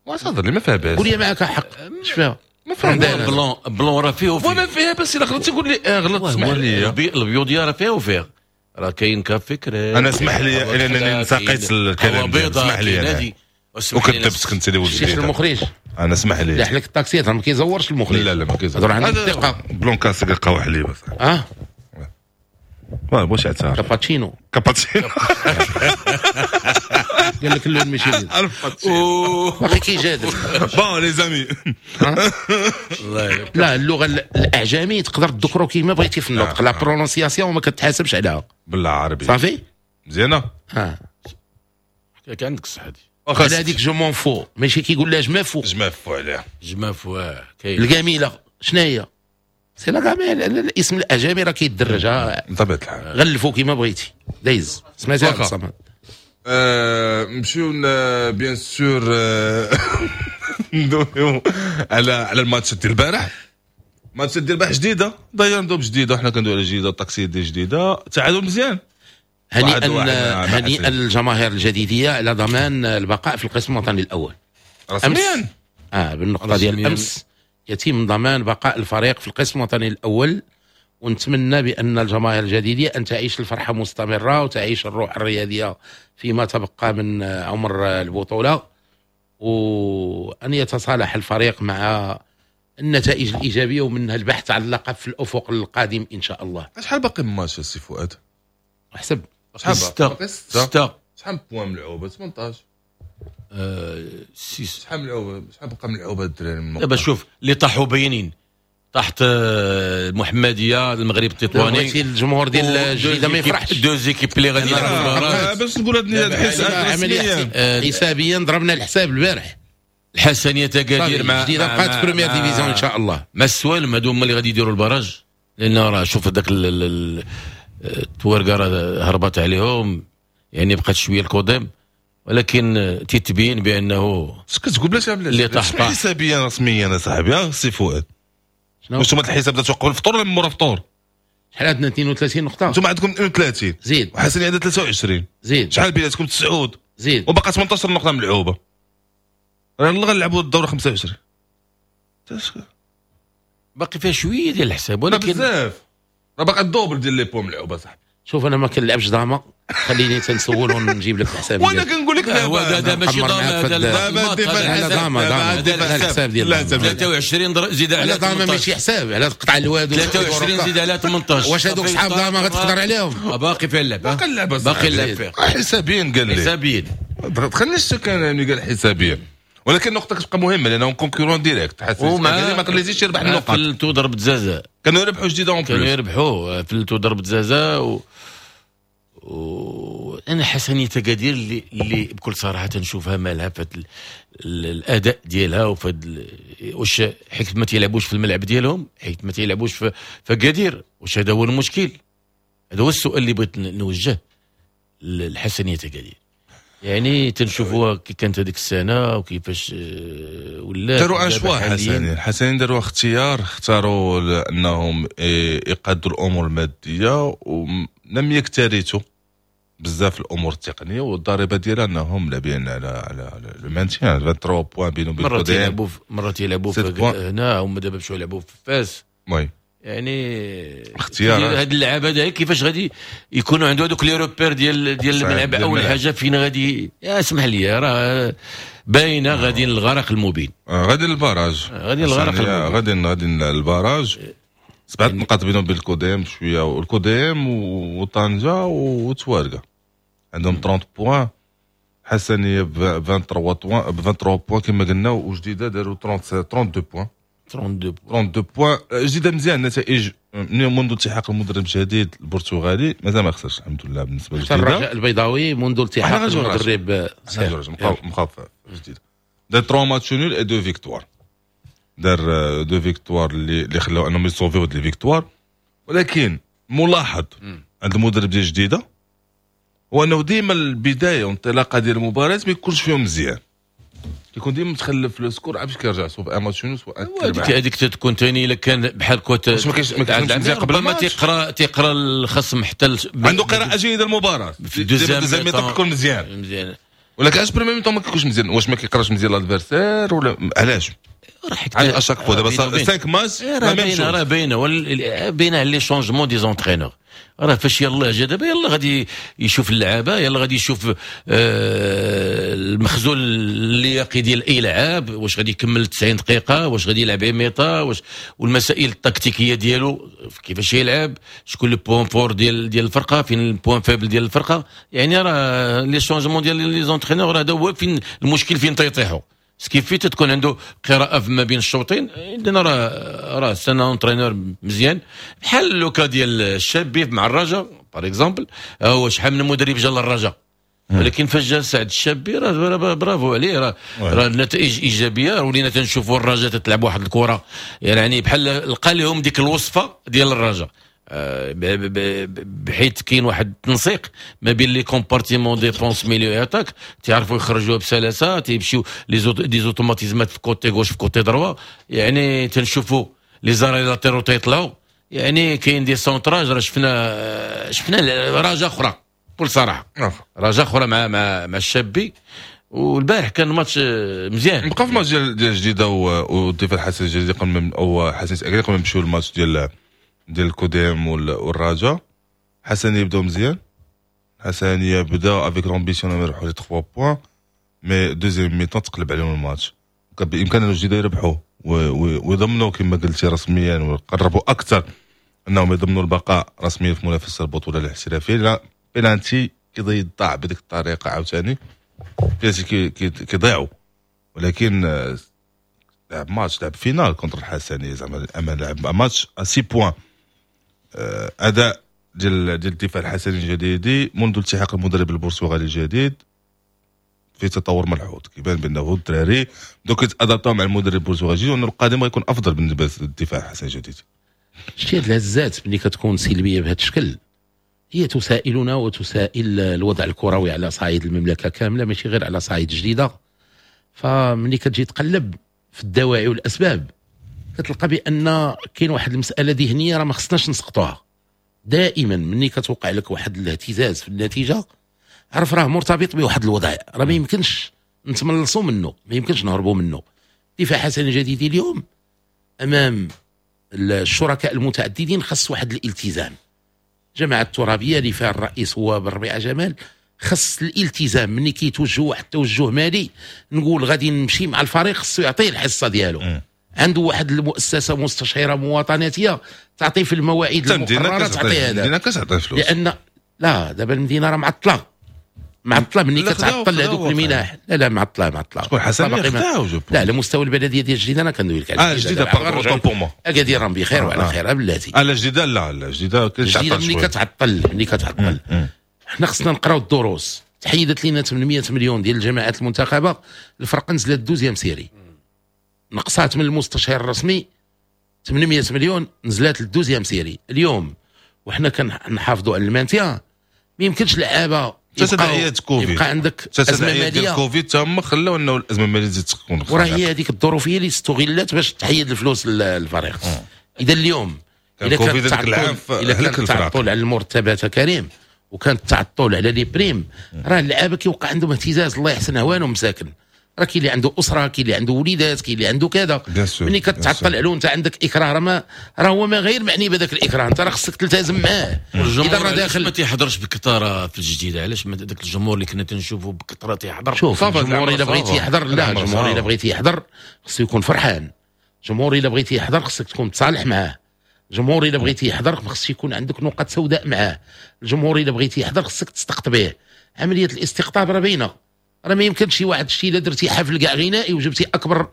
واعتذر لي ما فيها باس. قول لي معك حق اش فيها؟ ما فيها blanc blanc راه فيه وفيه. وما فيها باس الا غلطتي قول لي غلط اسمح لي. البيوضيه راه فيها وفيها، راه كاين café crème. انا اسمح لي لانني انتقيت الكلام، اسمح لي انا وكذبتك انت اللي ولدت المخرج. انا اسمح لي لا حلك الطاكسيات راه ما كيزورش المخرج. لا لا ما كيزورش. راه عندك الثقة. blanc cassé قهوة حليب اه ما بغيتش اعترف. كاباتشينو كاباتشينو قال لك اللون ماشي باقي كيجادل. bon les amis لا اللغة الاعجمي تقدر تذكرو كيما بغيتي في النطق، la prononciation ما كتحاسبش عليها بالعربية. صافي مزيانه. اه كان عندك الصح هذه. على هذيك je m'en fous ماشي كيقول لها je m'en fous. je m'en fous عليها je m'en fous. كاين الجميلة شنو هي؟ c'est la gamelle. الاسم الاعجمي راه كيدرج بطبيعة الحال. غلفو كيما بغيتي دايز. سمعتي هذا الصمد. نمشيو bien sûr ندويو على الماتش ديال البارح. ماتش ديال البارح جديدة داير ندوب جديدة. حنا كندويو على جديدة الطاكسيات ديال جديدة. تعادل مزيان. هنيئا الجماهير الجديديه على ضمان البقاء في القسم الوطني الاول رسميا. بالنقطة ديال امس يتم ضمان بقاء الفريق في القسم الوطني الاول، ونتمنى بان الجماهير الجديديه ان تعيش الفرحة مستمرة وتعيش الروح الرياضية فيما تبقى من عمر البطولة، وان يتصالح الفريق مع النتائج الايجابية ومنها البحث عن اللقب في الافق القادم ان شاء الله. شحال باقي من ماتش السي فؤاد؟ حسب شحال باقي؟ 6. شحال points ملعوبه؟ 18 6. شحال ملعوبه؟ شحال بقى ملعوبه الدراري؟ دابا شوف اللي طاحوا باينين. تحت المحمدية المغرب التطواني. الجمهور ديال الجديدة ما يفرحش، deux équipes اللي غادي يلعبوا. باش نقول هذا حسابيا ضربنا الحساب البارح. الحسنيه تكادير مع الجديدة بقات première division ان شاء الله. مع السوالم هادو هما اللي غادي يديروا ال barrage، لان راه شوف هذاك التوارقه راه هربت عليهم، يعني بقات شوية الكوديم، ولكن تتبين بانه اش كتقول بلاش اللي طاح حسابيا رسميا صاحبي سي فؤاد. واش هما الحساب درتو قبل الفطور ولا من مورا الفطور؟ شحال عندنا؟ 32 نقطة. انتم عندكم 32 زيد، وحسني عندها 23 زيد، شحال بيناتكم؟ 9 زيد، وباقا 18 نقطة ملعوبة. راه غنلعبوا الدورة 25 باقي فيها شوية ديال الحساب، ولكن بزاف راه باقي ال double ديال les points ملعوبة صاحبي. شوف انا ما كنلعبش ضامه، خليني تنسول ونجيب لك الحساب. وانا كنقول لك هو هذا ماشي ضامه، هذا ضامه ضامه الحساب ديال 23 زيد على ضامه ماشي حساب على قطع الواد، 23 زيد على 18. واش هذوك صحاب ضامه غتقدر عليهم؟ باقي فيها اللعب، باقي اللعب، باقي اللعب فيها حسابيا. قال لي حسابيا دخلني الشك انا ملي قال حسابيا، ولكن النقطة كتبقى مهمة لانهم concurrent direct. حسيت ما خليتيش يربح النقط. فلتو ضربة جزاء، كانوا يربحوا جديدة en plus، كانوا يربحوا فلتو ضربة جزاء. انا حسنيه تكادير اللي بكل صراحة تنشوفها مالها في الاداء ديالها وفي واش حيت ما تيلعبوش في الملعب ديالهم، حيت ما تيلعبوش في اكادير، واش هذا هو المشكل؟ هذا هو السؤال اللي بغيت نوجه للحسنيه تكادير. يعني تنشوفوها كي كانت هذيك السنة وكيفاش ولا داروا un choix. الحسنين داروا اختيار، اختاروا انهم يقادوا الامور المادية ولم يكترثوا بزاف الامور التقنية، والضريبه ديالها انهم لاعبين على le maintien 23 points بينهم وبين الكوديم. مرة تيلعبوا هنا، هما دابا مشاو يلعبوا في فاس. oui يعني اختيار هاد اللعابه هذا كيفاش غادي يكونوا عنده هذوك les repères ديال الملعب. اول حاجة فين غادي، يا اسمح لي راه باينة غادي للغرق المبين، غادي لل barrage، غادي للغرق المبين، غادي لل barrage. 7 نقاط بينهم وبين الكوديم شوية، والكوديم وطنجه وتوارقه عندهم 30 points. حسنيه ب 23 points كما قلنا، وجديدة داروا 32 points. 32 points جديدة مزيان. نتائج منذ التحاق المدرب الجديد البرتغالي مازال ما خسرش الحمد لله. بالنسبة للجديده الرجاء البيضاوي منذ التحاق المدرب مخاف جديد دار 3 matchs nuls et 2 victoires، دار 2 victoires اللي خلاو انهم يصوفيو هاد les victoires. ولكن ملاحظ عند المدرب ديال الجديدة هو انه ديما البداية والانطلاقه ديال المباراة ما يكونش فيهم مزيان، كيكون ديما متخلف le score عاد كيرجع سواء في match nul سواء هذيك تكون ثاني. الا كان بحال كوت ما كاينش مزيان قبل ما تيقرا الخصم حتى عنده قراءة جيدة للمباراة في deuxième mi-temps كيكون مزيان، ولكن علاش première mi-temps ما كيكونش مزيان؟ واش ما كيقراش مزيان l'adversaire ولا علاش؟ راه à chaque fois دابا 5 ماتش راه باينة، راه باينة باينة على les changements des entraîneurs. راه فاش يلاه جا دابا يلاه غادي يشوف اللعابه، يلاه غادي يشوف المخزون اللياقي ديال اي لعاب، واش غادي يكمل 90 دقيقة، واش غادي يلعب mi-temps، واش والمسائل التكتيكيه ديالو كيفاش يلعب، شكون le point fort ديال الفرقة، فين ال point faible ديال الفرقة. يعني راه les changements ديال les entraîneurs هذا هو فين المشكل، فين تيطيحوا. ce qui fait تكون عنده قراءة ما بين الشوطين. عندنا راه c'est un entraîneur مزيان بحال le cas ديال الشابي مع الرجاء par exemple. هو شحال من مدرب جا للرجاء، ولكن فاش جا سعد الشابي راه برافو عليه، راه النتائج ايجابية. ولينا تنشوفوا الرجاء تتلعب واحد الكره، يعني بحال لقى لهم ديك الوصفة ديال الرجاء، بحيث كاين واحد التنسيق ما بين les compartiments défense milieu attaque، تعرفوا يخرجوها بسلاسة، تيمشيو les automatismes في côté gauche في côté droit. يعني تنشوفوا les arrières latéraux تيطلعوا، يعني كاين des centrages. راه شفنا رجاء اخرى بكل صراحة، رجاء اخرى مع مع مع الشابي. والبارح كان ماتش مزيان. بقى في ماتش ديال جديدة والدفاع الحسن الجديد قبل او حسن اكادير قبل ما نمشيو للماتش ديال الكوديم والرجاء. حسن يبداو مزيان، حسن يبدا avec l'ambition يربحوا les 3 points، mais deuxième mi-temps تقلب عليهم الماتش. كان بامكان الجديدة يربحوا ويضمنوا كما قلتي رسميا، ويقربوا اكثر انهم يضمنوا البقاء رسميا في منافسه البطولة الاحترافية. لا بينالتي كيضيع بديك الطريقة عاوتاني، بينالتي كيضيعوا، ولكن لعب ماتش، لعب finale contre الحسنيه، زعما الامل لعب ماتش 6 points. اداء ديال الدفاع الحسني الجديدي منذ التحاق المدرب البرتغالي الجديد في تطور ملحوظ، كيبان بانه الدراري دوك يتادابطاو مع المدرب البرتغالي وانه القادم غيكون افضل بالنسبة للدفاع الحسني الجديد. شتي هاد الهزات ملي كتكون سلبية بهذا الشكل هي تسائلنا وتسائل الوضع الكروي على صعيد المملكة كاملة، ماشي غير على صعيد جديدة. فملي كتجي تقلب في الدواعي والاسباب كتلقى بان كاين واحد المسالة ذهنية راه ما خصناش نسقطوها. دائما ملي كتوقع لك واحد الاهتزاز في النتيجة عرف راه مرتبط بواحد الوضع، راه ما يمكنش نتملصوا منه، ما يمكنش نهربوا منه. دفاع حسن الجديدي اليوم امام الشركاء المتعددين خص واحد الالتزام. الجماعة الترابيه اللي فيها الرئيس هو بالربيعه جمال، خص الالتزام ملي كيتوجه واحد التوجه مالي نقول غادي نمشي مع الفريق خصو يعطيه الحصة ديالو. عنده واحد المؤسسة مستشيره مواطناتيه تعطي في المواعيد المقررة، تعطي هذا. المدينة كتعطي فلوس، لان لا دابا المدينة راه معطلة ملي كتعطل هذوك المنح. لا معطلة شكون حسن خداو؟ لا على مستوى البلدية ديال الجديدة انا كندوي لك على الجديدة pardon pour moi. اكادير راهم بخير وعلى خير بلاتي. لا الجديدة لا الجديدة كتعطل، ملي كتعطل حنا خصنا نقراو الدروس. تحيدت لينا 800 مليون ديال الجماعات المنتخبه، الفرقة نزلت deuxième série، نقصات من المستشير الرسمي 800 مليون نزلت لل deuxième série. اليوم وحنا كنحافظوا على ال maintien، ما يمكنش لعابه تداعيات كوفيد يبقى عندك ازمة ماليه ديال كوفيد تما خلاو انه الازمة المالية تزيد تكون، وراه هي هذيك الظروفيه اللي استغلت باش تحيد الفلوس للفريق. اذا اليوم الا كان التعطل على المرتبات كريم وكان التعطل على les primes، راه اللعابه كيوقع عندهم اهتزاز، الله يحسن عوانهم مساكن. راه كاين اللي عنده اسره، كاين اللي عنده وليدات، كاين اللي عنده كذا. ملي كتعطل عليه انت عندك اكراه، راه راه هو ما غير معني بهذاك الاكراه، انت راه خصك تلتزم معاه. اذا راه داخل ما تيحضرش بكثرة في الجديدة. علاش داك الجمهور اللي كنا تنشوفوا بكثرة تيحضر؟ شوف الجمهور الا بغيتي يحضر، لا الجمهور الا بغيتي يحضر خصو يكون فرحان. الجمهور الا بغيتي يحضر خصك تكون تصالح معاه. الجمهور الا بغيتي يحضر خص يكون عندك نقاط سوداء معاه. الجمهور الا بغيتي يحضر خصك تستقطبيه. عملية الاستقطاب راه باينة، راه ما يمكنش شي واحد شي الا درتي حفل كاع غنائي وجبتي اكبر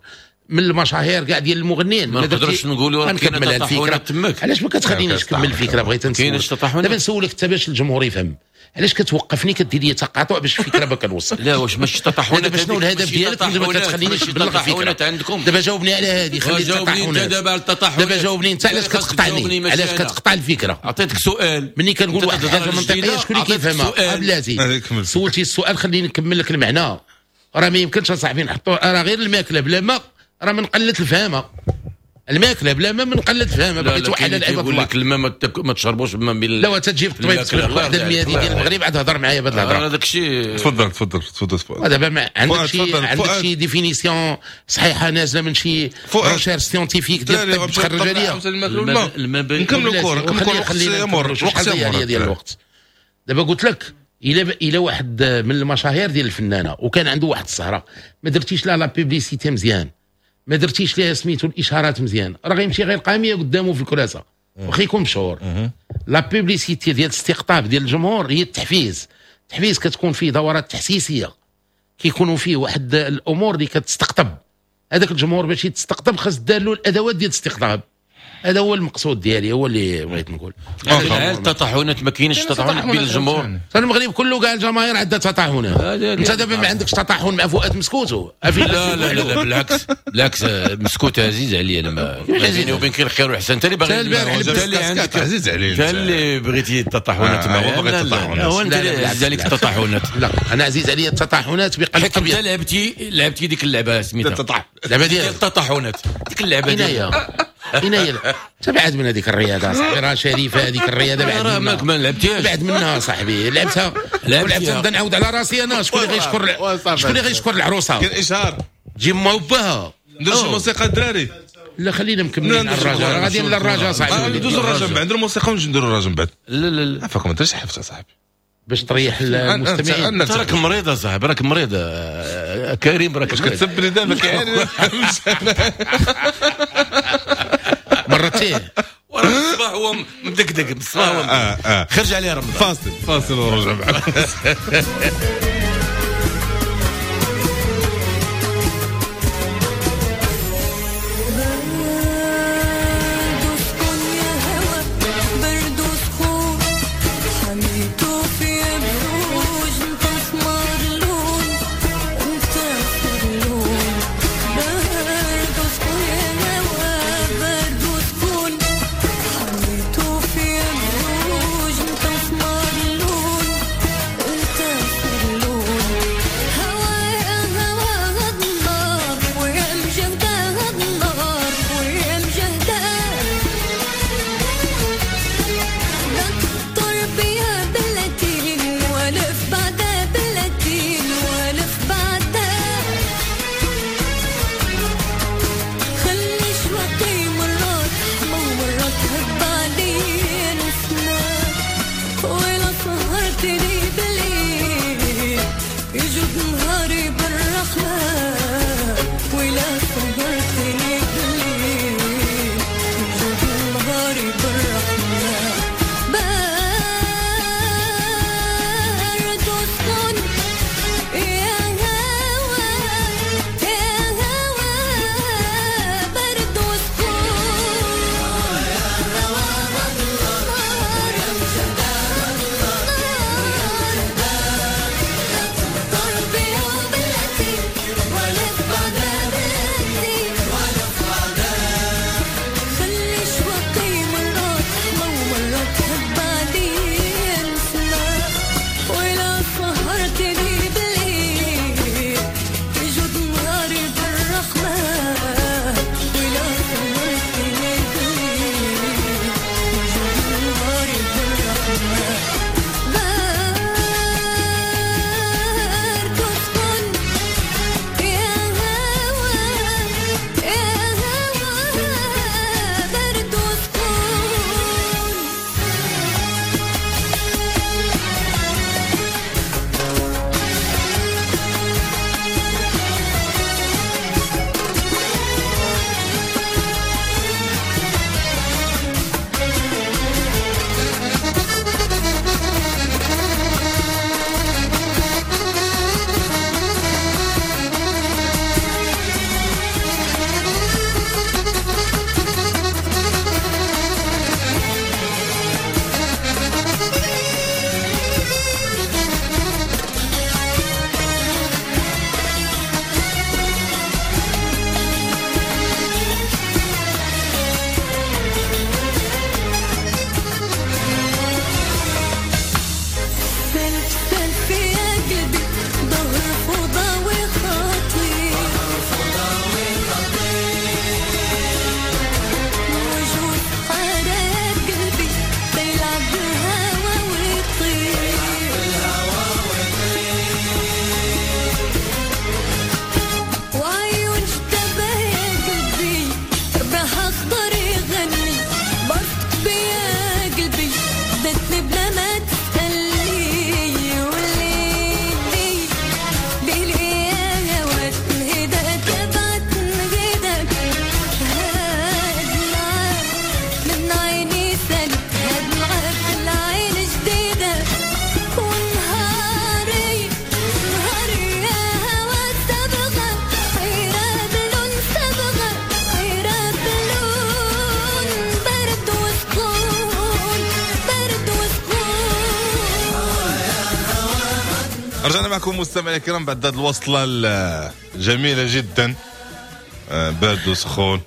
من المشاهير كاع ديال المغنيين، ما نقدرش نقولوا راه كاين تطاحنات تماك. علاش ما كتخلينيش نكمل الفكرة؟ بغيت نسول دابا نسولك حتى باش الجمهور يفهم. علاش كتوقفني كدير لي تقاطع باش الفكرة ما كنوصل؟ لا واش ماشي تطاحنات؟ دابا شنو الهدف ديالك ما كتخلينيش نبلغ الفكرة عندكم؟ دابا جاوبني على هذه، خلي التطاحنات. دابا جاوبني انت علاش كتقطعني؟ علاش كتقطع الفكرة؟ عطيتك سؤال، ملي كنقول واحد الحاجة منطقية شكون اللي كيفهمها؟ بلاتي سولتي السؤال خليني نكمل لك المعنى. راه ما يمكنش اصاحبي نحطوا راه غير الماكلة بلا ما، راه من قلة الفهامه. الماكلة بلا ما من قلة الفهامه. بغيت واحد العباد يقول لك الماء ما تشربوش بما بين. لا تجيب الطبيب تقول واحد المياه ديال المغرب عاد هضر معايا بهذه الهضرة. هذاك الشيء. تفضل تفضل تفضل. دابا عندك شي عندك شي définition صحيحه نازله من شي recherche scientifique ديال الطب تخرج عليا؟ نكملوا الكره، نكملوا الوقت ديال الوقت. دابا قلت لك الى واحد من المشاهير ديال الفنانة وكان عنده واحد السهرة ما درتيش لها la publicité مزيان، ما درتيش ليها سميتو الاشارات مزيان، راه غيمشي غير قاميه قدامه في الكراسة واخا يكون مشهور. la publicité ديال الاستقطاب ديال الجمهور هي التحفيز. التحفيز كتكون فيه دورات تحسيسيه، كيكونوا فيه واحد الامور اللي كتستقطب هذاك الجمهور. باش يتستقطب خاص دار له الادوات ديال الاستقطاب. هذا هو المقصود ديالي، هو اللي بغيت نقول. التطاحنات ما كاينش تطاحنات بين الجمهور. المغرب كله كاع الجماهير عندها تطاحنات. انت دابا ما عندكش تطاحن مع فؤاد مسكوتو؟ لا لا لا بالعكس بالعكس، مسكوت عزيز عليا انا. ما بيني وبينك الخير والحسن. انت اللي باغي، انت اللي عندك عزيز عليا، انت اللي بغيتي التطاحنات معايا. هو بغى التطاحنات، هو انت اللي عزيز عليك التطاحنات. لا انا عزيز عليا التطاحنات بقلب ابيض. انت لعبتي ديك اللعبة سميتها اللعبة ديال التطاحنات، ديك اللعبة ديال هنايا. تبعد من هذيك الرياضة صاحبي، راه شريفه هذيك الرياضة. بعد منها ما لعبتيهاش، بعد منها صاحبي. لعبتها ولعبتها نبدا نعاود على راسي انا. شكون اللي غيشكر؟ شكون اللي غيشكر العروسة؟ كاين اشهار جيب ما وباها. ندير شي موسيقى الدراري؟ لا خلينا مكملين على الرجاء، راه غاديين للرجاء صاحبي. ندوزو الرجاء من بعد، نديرو الموسيقى ونجي نديرو الرجاء من بعد. لا لا لا عفاكم، ما درتش حفت صاحبي باش تريح المستمعين. انت راك مريض اصاحبي، راك مريض كريم، راك واش كتسب لي دابا كاين مرتين وراه الصباح هو مدقدق، الصباح هو خرج عليه رمضان. فاصل ورجع معك. رجعنا معكم مستمعينا الكرام بعد هذه الوصلة الجميلة جدا، بارد وسخون.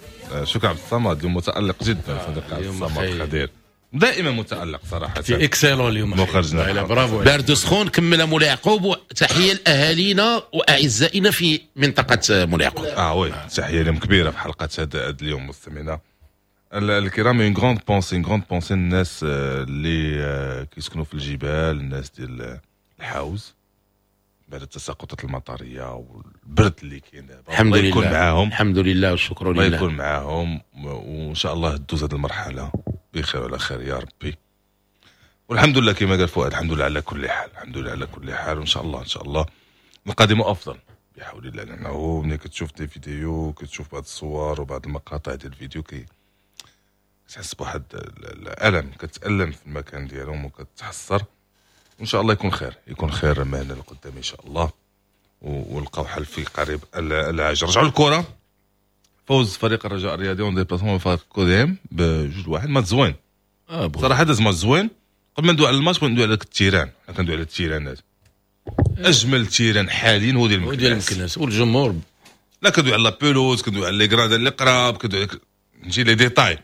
شكرا عبد الصمد، اليوم متالق جدا صديقي عبد الصمد خدير، دائما متالق صراحة، في excellent اليوم مخرجنا. برافو. بارد وسخون. كمل مولاي يعقوب، تحية لاهالينا واعزائنا في منطقة مولاي يعقوب. oui، تحية لهم كبيرة في حلقة هذا اليوم مستمعينا الكرام. une grande pensée، une grande pensée الناس اللي كيسكنوا في الجبال، الناس ديال الحوز بعد التساقطات المطريه والبرد اللي كاين دابا. الحمد الله يكون لله معاهم، الحمد لله والشكر الله لله، يكون معاهم، وان شاء الله تدوز هذه المرحلة بخير وعلى خير يا ربي. والحمد لله كما قال فؤاد، الحمد لله على كل حال، الحمد لله على كل حال، وان شاء الله ان شاء الله القادم افضل بحول الله. لانه ملي كتشوف des vidéos، كتشوف بعض الصور وبعض المقاطع ديال الفيديو، كي كتحس بواحد الالم، كتالم في المكان ديالهم وكتحسر. وان شاء الله يكون خير، يكون خير معنا لقدام ان شاء الله، ولقاو حل في قريب العاجل. رجعوا الكره، فوز فريق الرجاء الرياضي en déplacement فريق كوديم ب2-1. ماتش زوين صراحة، داز ماتش زوين. قبل ما ندوي على الماتش بغيت ندوي على ال terrain. حنا كندوي على التيرانات، اجمل terrain حاليا هو ديال هو ديال المكناس. المكناس والجمهور. لا، كندوي على la pelouse، كندوي على les gradins اللي قراب، كندوي على نجي les détails.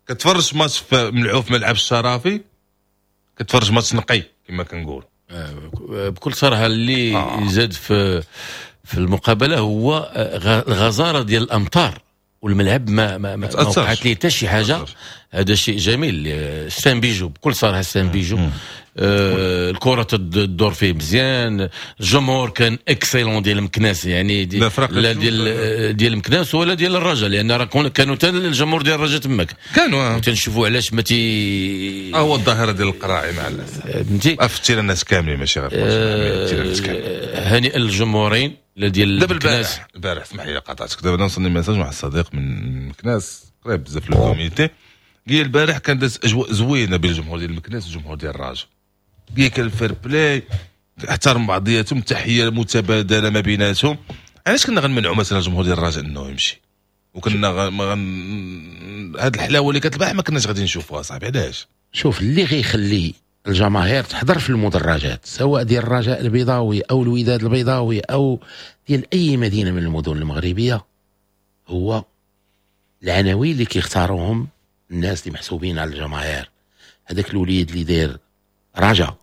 كتفرج ماتش ملعوب في ملعب الشرافي، كتفرج ماتش نقي كما كنقولوا. بكل صراحة اللي زاد في المقابلة هو الغزاره ديال الامطار، والملعب ما تأثرش. وقعت ليه حتى شي حاجة. تأثرش. هذا شيء جميل، c'est un bijou، بكل صراحة c'est un bijou. الكره تدور فيه مزيان، الجمهور كان excellent ديال المكناس، يعني لا فرق. لا ديال المكناس ولا ديال الرجاء، لان راه كانوا حتى الجمهور ديال الرجاء تماك. كانوا. تنشوفوا علاش ما تي هو الظاهرة ديال القراعي مع الاسف. فهمتي. في ال terrain الناس كاملين، ماشي غير في الماتش، ال terrain الناس كاملين. هنيئا للجمهورين، لا ديال دابا المكناس. البارح، اسمح لي قاطعتك، دابا وصلني message واحد الصديق من مكناس قريب بزاف le comité، قال البارح كان داز اجواء زوينة بين الجمهور ديال المكناس والجمهور ديال الرجاء، قال كان ال fair-play، احترم بعضياتهم، تحية متبادلة ما بيناتهم. علاش كنا غنمنعوا مثلا الجمهور ديال الرجاء انه يمشي؟ وكنا غ... ما غن... هاد الحلاوة اللي كانت البارح ما كناش غادي نشوفوها صاحبي، علاش؟ شوف، اللي غيخلي الجماهير تحضر في المدرجات، سواء ديال الرجاء البيضاوي او الوداد البيضاوي او ديال اي مدينة من المدن المغربيه، هو العناوين اللي كيختاروهم الناس اللي محسوبين على الجماهير. هذاك الوليد اللي داير رجا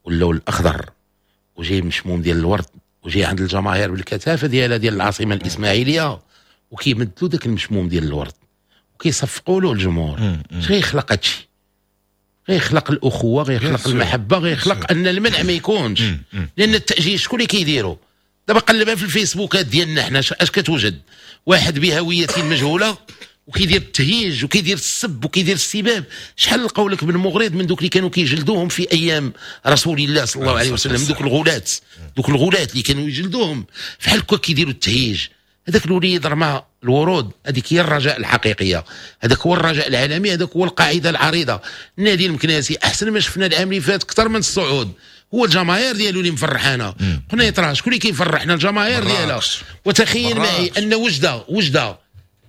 واللون الاخضر وجاي مشموم ديال الورد وجاي عند الجماهير بالكثافه ديالها ديال العاصمة الاسماعيلية، وكيمدلوا داك المشموم ديال الورد وكيصفقوا له الجمهور، اش غيخلق هادشي؟ غيخلق الاخوه، غيخلق المحبه، غيخلق ان المنع ما يكونش. لان التاجيل شكون اللي كيديروا دابا؟ قلبها في الفيسبوكات ديالنا حنا، اش كتوجد؟ واحد بهوية مجهولة وكيدير التهيج وكيدير السب وكيدير السباب. شحال لقاو لك من مغرض من دوك اللي كانوا كيجلدوهم في ايام رسول الله صلى الله عليه وسلم، دوك الغلاة اللي كانوا يجلدوهم، فحال هكا كيديروا التهيج. هذاك الوليد رمى الورود، هذيك هي الرجاء الحقيقيه، هذاك هو الرجاء العالمي، هذاك هو القاعدة العريضه. النادي المكناسي احسن ما شفنا العام اللي فات اكثر من الصعود هو الجماهير ديالو اللي مفرحانا. قنيطره شكون اللي كيفرحنا؟ الجماهير ديالها. وتخيل معي ان وجده، وجده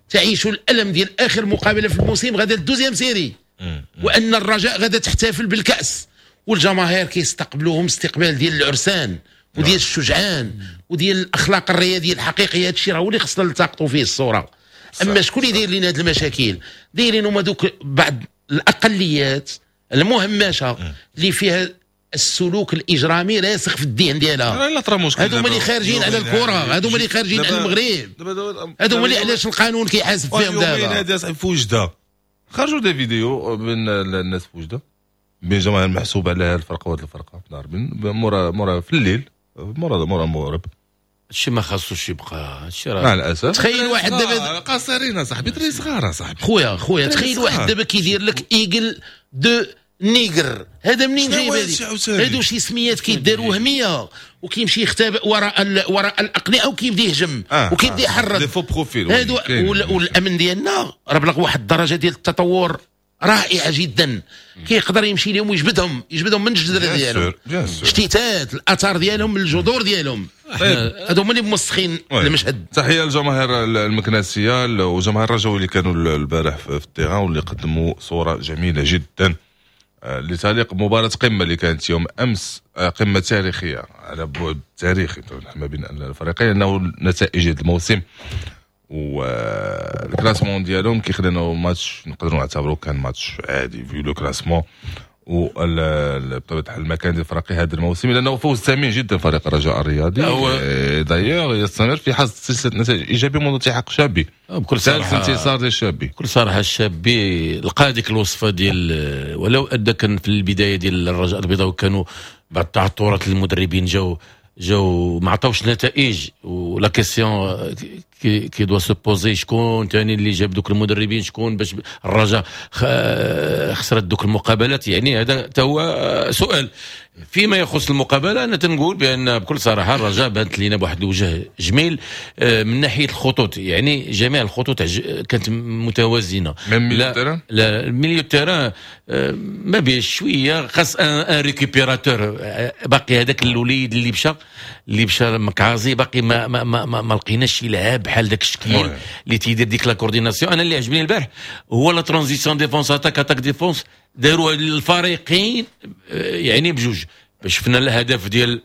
تعيش الالم ديال اخر مقابله في الموسم، غادا ال deuxième série، وان الرجاء غادا تحتفل بالكاس، والجماهير كيستقبلوهم استقبال ديال العرسان وديال الشجعان وديال الاخلاق الرياضية الحقيقيه. هذا الشيء راه هو اللي خصنا نلتقطوا فيه الصوره. اما شكون اللي داير لنا هذه المشاكل؟ دايرين هما دوك بعض الاقليات المهمشه اللي فيها السلوك الاجرامي راسخ في الذهن ديالها. لا طرا مشكل. هادو هما اللي خارجين على الكره، هادو هما اللي خارجين على المغرب، هادو هما اللي علاش القانون كيحاسب فيهم دابا. هادي صاحبي في وجده خرجوا des vidéos من الناس في وجده، بين جماعة المحسوب على الفرقة وهاد الفرقه، ضاربين مورا في الليل، مورا المغرب. هادشي ما خاصوش يبقى، هادشي مع راه الاسف. تخيل واحد دابا قاصرين صاحبي، دري صغار صاحبي. خويا خويا، تخيل واحد دابا كيدير لك aigle de nigre، هذا منين شنو جايب؟ هادشي عاوتاني؟ هادو شي سميات كيداروا وهميه، وكيمشي يختبئ وراء الاقنعة وكيبدا يهجم وكيبدا يحرض. des faux profils. هادو والامن ديالنا راه بلغ واحد الدرجة ديال التطور رائعة جدا، كيقدر يمشي لهم ويجبدهم، يجبدهم من الجذر ديالهم، اجتثاث الاثار ديالهم من الجذور ديالهم. هادو هما اللي موسخين المشهد. تحية للجماهير المكناسيه وجماهير الرجاوي اللي كانوا البارح في ال terrain واللي قدموا صوره جميلة جدا. اللي تعليق مباراة قمة اللي كانت يوم امس، قمة تاريخية على بعد تاريخي ما بين الفريقين، لانه نتائج الموسم وال classement ديالهم كيخلينا ماتش نقدروا نعتبروه كان ماتش عادي vu le classement وبطبيعة الحال المكان ديال الفريق هذا الموسم، لانه فوز ثمين جدا فريق الرجاء الرياضي. d'ailleurs يستمر في حصد سلسلة نتائج ايجابية منذ التحاق الشابي. بكل صراحه، ثالث انتصار للشابي. بكل صراحه، الشابي لقى هذيك الوصفة ديال، ولو ادى كان في البداية ديال الرجاء البيضاوي كانوا بعض التعثرات، المدربين جاو ما عطاوش نتائج، و la question qui doit se poser: شكون ثاني اللي جاب دوك المدربين؟ شكون باش الرجاء خسرت دوك المقابلات؟ يعني هذا هو سؤال. فيما يخص المقابله، انا تنقول بان بكل صراحة الرجاء بانت لنا بواحد الوجه جميل من ناحية الخطوط، يعني جميع الخطوط كانت متوازنه. لا لا، milieu terrain ما بيه شويه، خاص un récupérateur. باقي هذاك الوليد اللي مشى مكعازي، باقي ما لقيناش شي لاعب بحال داك الشكل اللي تيدير ديك la coordination. انا اللي عجبني البارح هو la transition défense attaque، attaque défense، داروا الفريقين يعني بجوج. باش شفنا الهدف ديال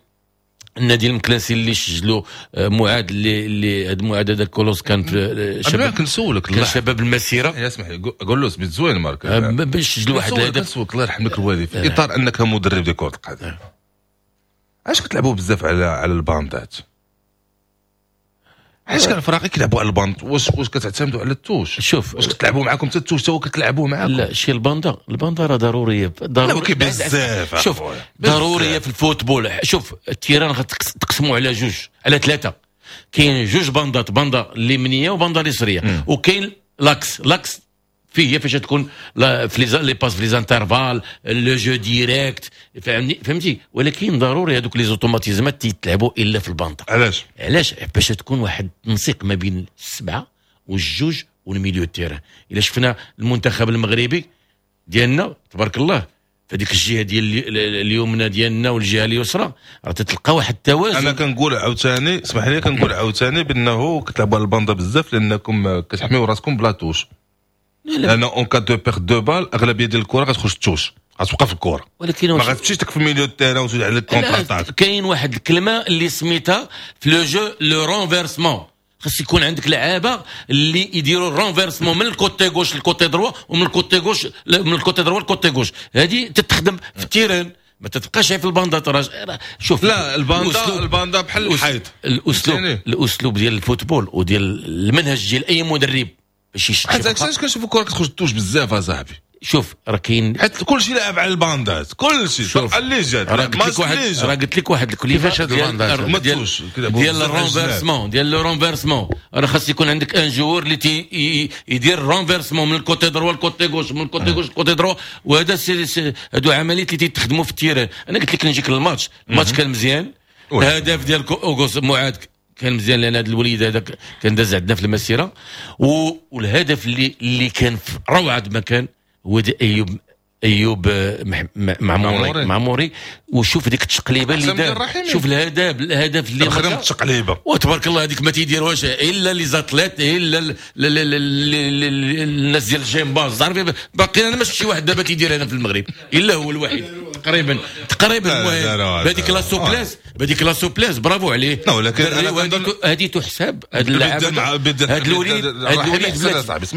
النادي المكناسي اللي سجلوا معاذ، اللي هذا معاذ هذا كولوس كان في شباب. كنسولك. كان شباب المسيره. يا اسمح لي، قول بيت زوين مارك. باش سجلوا واحد الهدف. كنسولك الله يرحم لك الوالد، في اطار انك مدرب ديال كره القدم، علاش كتلعبوا بزاف على الباندات؟ علاش كان الفراقي كيلعبوا على ال bande؟ واش كتعتمدوا على ال touche؟ شوف. واش كتلعبوا معاكم حتى ال touche حتى هو كتلعبوا معاكم؟ لا، شي ال bande، ال bande راه ضروريه. ضرورية بزاف. شوف، ضرورية في ال football. شوف، ال terrain غتقسموا على جوج، على ثلاثه. كاين جوج باندات، باندا اليمنية وباندا اليسريه، وكاين l'axe. l'axe فيه فاش تكون في les passes، في les intervalles، le jeu direct، فهمتي فهمتي. ولكن ضروري هذوك les automatismes تيتلعبوا الا في الباندا. علاش؟ علاش؟ باش تكون واحد التنسيق ما بين السبعة والجوج وال milieu terrain. الا شفنا المنتخب المغربي ديالنا، تبارك الله، فديك الجهة ديال اليمنى ديالنا والجهة اليسرى راه تتلقى واحد التوازن. انا كنقول عاوتاني، اسمح لي، كنقول عاوتاني بانه كتلعبوا على الباندا بزاف لانكم كتحميو راسكم ب la touche، لان en cas de perte de balle اغلبية ديال الكره غتخرج touche، غتبقى في الكره. ولكن ما غتمشيش في milieu terrain وتزيد على ال contre-attaque. كاين واحد الكلمة اللي سميتها في le jeu le renversement. خاص يكون عندك لعابه اللي يديروا ال renversement من ال côté gauche لل côté droit ومن ال côté gauche، من ال côté droit لل côté gauche. هذه تتخدم في ال terrain، ما تتبقاش في الباندا. راه شوف. لا، الباندا، الباندا بحال الحيط. الاسلوب ديال ال football وديال المنهج ديال اي مدرب باش يشتغل. حيت علاش كنشوفوا الكره كتخرج touche بزاف اصاحبي؟ شوف، راه كاين حيت كلشي لاعب على الباندات، كلشي اللي جات. راه قلت لك واحد الكلمه. كيفاش هاد الباندات؟ ديال ال renversement، ديال le renversement، راه خاص يكون عندك un joueur اللي تي يدير renversement من ال côté droit لل côté gauche، من ال côté gauche لل côté droit. وهذا هادو عمليات اللي تيتخدموا في ال terrain. انا قلت لك نجيك للماتش، الماتش كان مزيان. الهدف ديال اوغوس معاذ كان مزيان، لان هذا الوليد هذاك كان داز عندنا في المسيره. والهدف اللي كان في روعه مكان هو دي ايوب معموري معموري. وشوف ديك التشقليبه اللي دار، شوف الهدف اللي خدم التشقليبه. وتبارك الله، هذيك ما تيديروهاش الا les athlètes، الا الناس ديال الجيمباز. عارف، باقي انا ما شفت شي واحد دابا تيدير هنا في المغرب الا هو الوحيد تقريبا تقريبا. المهم، بهذيك la souplesse، بهذيك la souplesse، برافو عليه. ولكن هذه تحسب هذا اللاعب،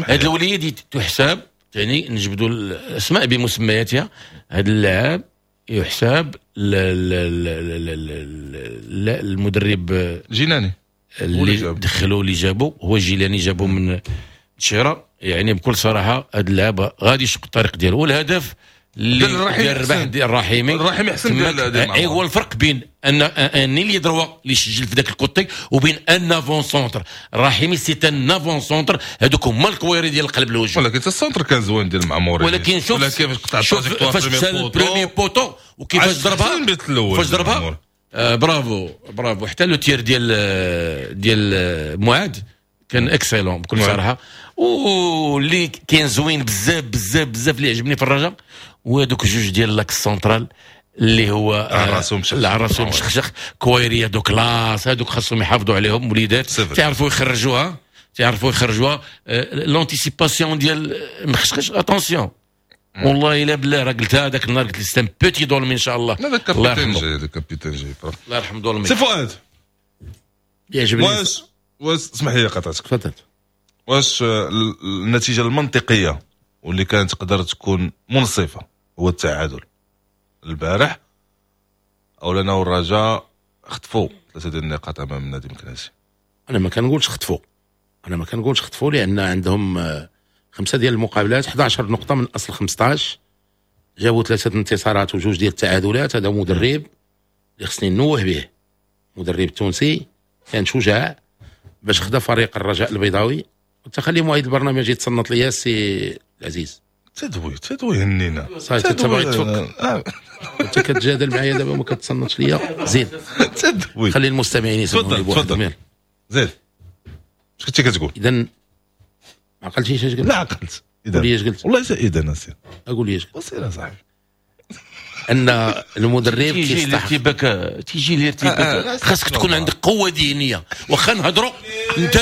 هذا الوليد تحسب، يعني نجبدوا الاسماء بمسمياتها، هذا اللاعب يحسب المدرب جيلاني. اللي دخلوا، اللي جابوا هو جيلاني، جابوا من شيرا. يعني بكل صراحة هذا اللاعب غادي يشق الطريق ديالو. والهدف اللي ديال الربح ديال الرحيمي. الرحيمي احسن. ديال هو الفرق بين un ailier droit اللي سجل في ذاك ال côté وبين un avant-centre. الرحيمي c'est un avant-centre، هذوك هما الكويري ديال القلب الهجوم. ولكن ال centre كان زوين ديال المعموري. ولكن شوف. ولا كيفاش قطع. شوف فاش مشى ال premier poteau وكيفاش ضربها، فاش ضربها، bravo bravo. حتى le tir ديال معاذ كان excellent بكل صراحه. واللي كاين زوين بزاف بزاف بزاف اللي عجبني في الرجاء هو هذوك جوج ديال l'axe central اللي هو راسهم. راسهم مشخشخ، كويريه de classe. هذوك خاصهم يحافظوا عليهم، وليدات تعرفوا يخرجوها، تعرفوا يخرجوها. l'anticipation ديال مخشخش، attention. والله الا بالله راه قلتها هذاك النهار، قلت لي c'est un petit دولمي ان شاء الله. لا ذاك capitaine جاي، ذاك capitaine جاي. الله يرحم دولمي. سي فؤاد يعجبني. واش اسمح لي قطعتك. تفضل. واش النتيجة المنطقية واللي كانت تقدر تكون منصفة هو التعادل البارح، او لنا الرجاء خطفوا 3 ديال النقاط امام النادي المكناسي؟ انا ما كنقولش خطفوا، انا ما كنقولش خطفوا، لان عندهم 5 ديال المقابلات، 11 نقطة من اصل 15، جابوا 3 انتصارات وجوج ديال التعادلات. هذا مدرب اللي خصني نوه به، مدرب تونسي كان شجاع باش خدا فريق الرجاء البيضاوي. وتخلي معيد البرنامج يتصنت ليا السي العزيز. تدوي هنينا صافي انت باغي تفك، انت كتجادل معايا دابا وما كتصنتش ليا. زيد تدوي، خلي المستمعين يسمعوني بوحدهم. زيد اش كنتي كتقول؟ اذا ما عقلتيش اش قلت؟ لا عقلت. قول لي اش قلت. والله اذا سير اقول لي اش قلت. وسير اصاحبي. ان المدرب كيستحق الارتباك، تيجي الارتباك، خاصك تكون عندك قوة ذهنية. واخا نهضروا انت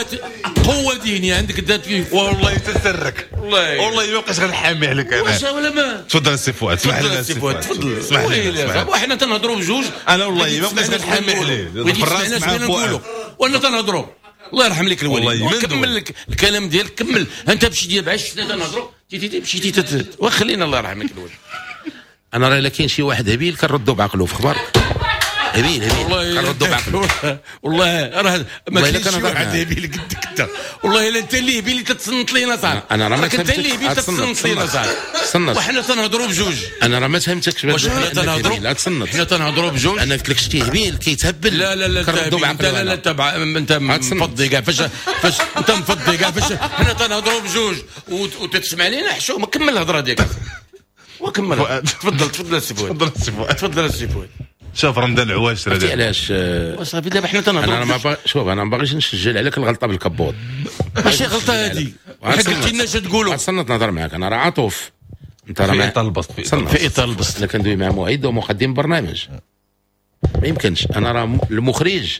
قوة ذهنية عندك انت، والله يتسرك، والله ما بقاش غنحامي عليك انا. واش ولا ما تفضل السي فؤاد، اسمح لنا السي فؤاد، تفضل اسمح لي. وحنا تنهضروا بجوج، انا والله ما بقاش غنحامي عليه في الراس مع فؤاد وانا تنهضروا. الله يرحم لك الوالد، وكمل لك الكلام ديالك، كمل انت مشيتي بعش حنا تنهضروا مشيتي وخلينا الله يرحم لك الوالد. انا راه الا كاين شي واحد هبيل كنردو بعقلو في خبارك. هبيل هبيل كنردو بعقلو. والله راه ما كاينش شي واحد هبيل قدك انت، والله الا انت اللي هبيل اللي تتصنت لينا صاحبي. انا راه ما انت اللي هبيل تتصنت لينا صاحبي، وحنا تنهضروا بجوج. انا راه ما فهمتكش. واش حنا تنهضروا؟ لا تصنت، حنا تنهضروا بجوج. انا قلت لك شتي هبيل كيتهبل. لا لا لا كنردو بعقلو. لا لا انت مفضي كاع فاش انت مفضي كاع فاش حنا تنهضروا بجوج وتتسمع لينا حشومه. كمل الهضرة ديالك وكمل. تفضل تفضل السي فؤاد، تفضل السي فؤاد، تفضل السي فؤاد. شوف رمضان العواشر هذا علاش صافي دابا حنا تنهضروا. انا ما شوف انا ما باغيش نسجل عليك الغلطة بالكبوط. ماشي غلطه هذه، قلت لنا اش تقولوا. تصنت نهضر معاك، انا راه عطوف. انت راه في اطار البسط، في اطار البسط. انا كندوي مع معيد ومقدم برنامج، ما يمكنش. انا راه المخرج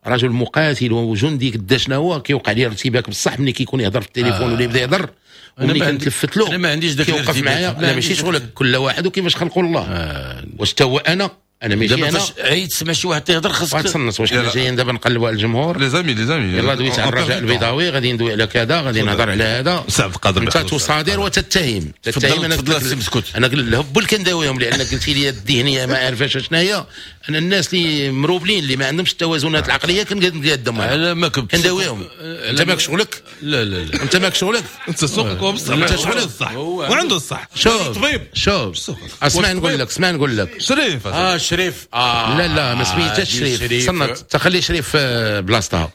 رجل مقاتل وجندي قدا شنو هو، كيوقع لي ارتباك بصح ملي كيكون يهضر في التليفون ولا يبدا يهضر وملي كنتلفت له. انا ما عنديش داك كيوقف معايا. لا ماشي شغلك، كل واحد وكيفاش خلقوا الله. واش تا هو انا ماشي انا. عيد تسمع شي واحد تيهضر خاصك تصنت. واش حنا جايين دابا نقلبوا على الجمهور؟ les amis les amis، يلاه دويت على الرجاء البيضاوي، غادي ندوي على كذا، غادي نهضر على هذا. سي عبد القادر انت تصادر وتتهم. تتهم. انا تفضل. انا الهبل كنداويهم، لان قلتي لي الذهنية ما عارفاش شنو هي. انا الناس اللي مروبلين اللي ما عندهمش التوازنات العقلية كنقدمهم. انا ما كنداويهم. انت ماك شغلك. لا لا لا انت ماك شغلك. انت سوقك وبصح. انت شغلك الصح وعنده الصح. شوف طبيب، شوف اسمع نقول لك، اسمع نقول لك. شريف شريف. لا لا ما سميتهاش شريف. صنت تخلي شريف بلاصتها.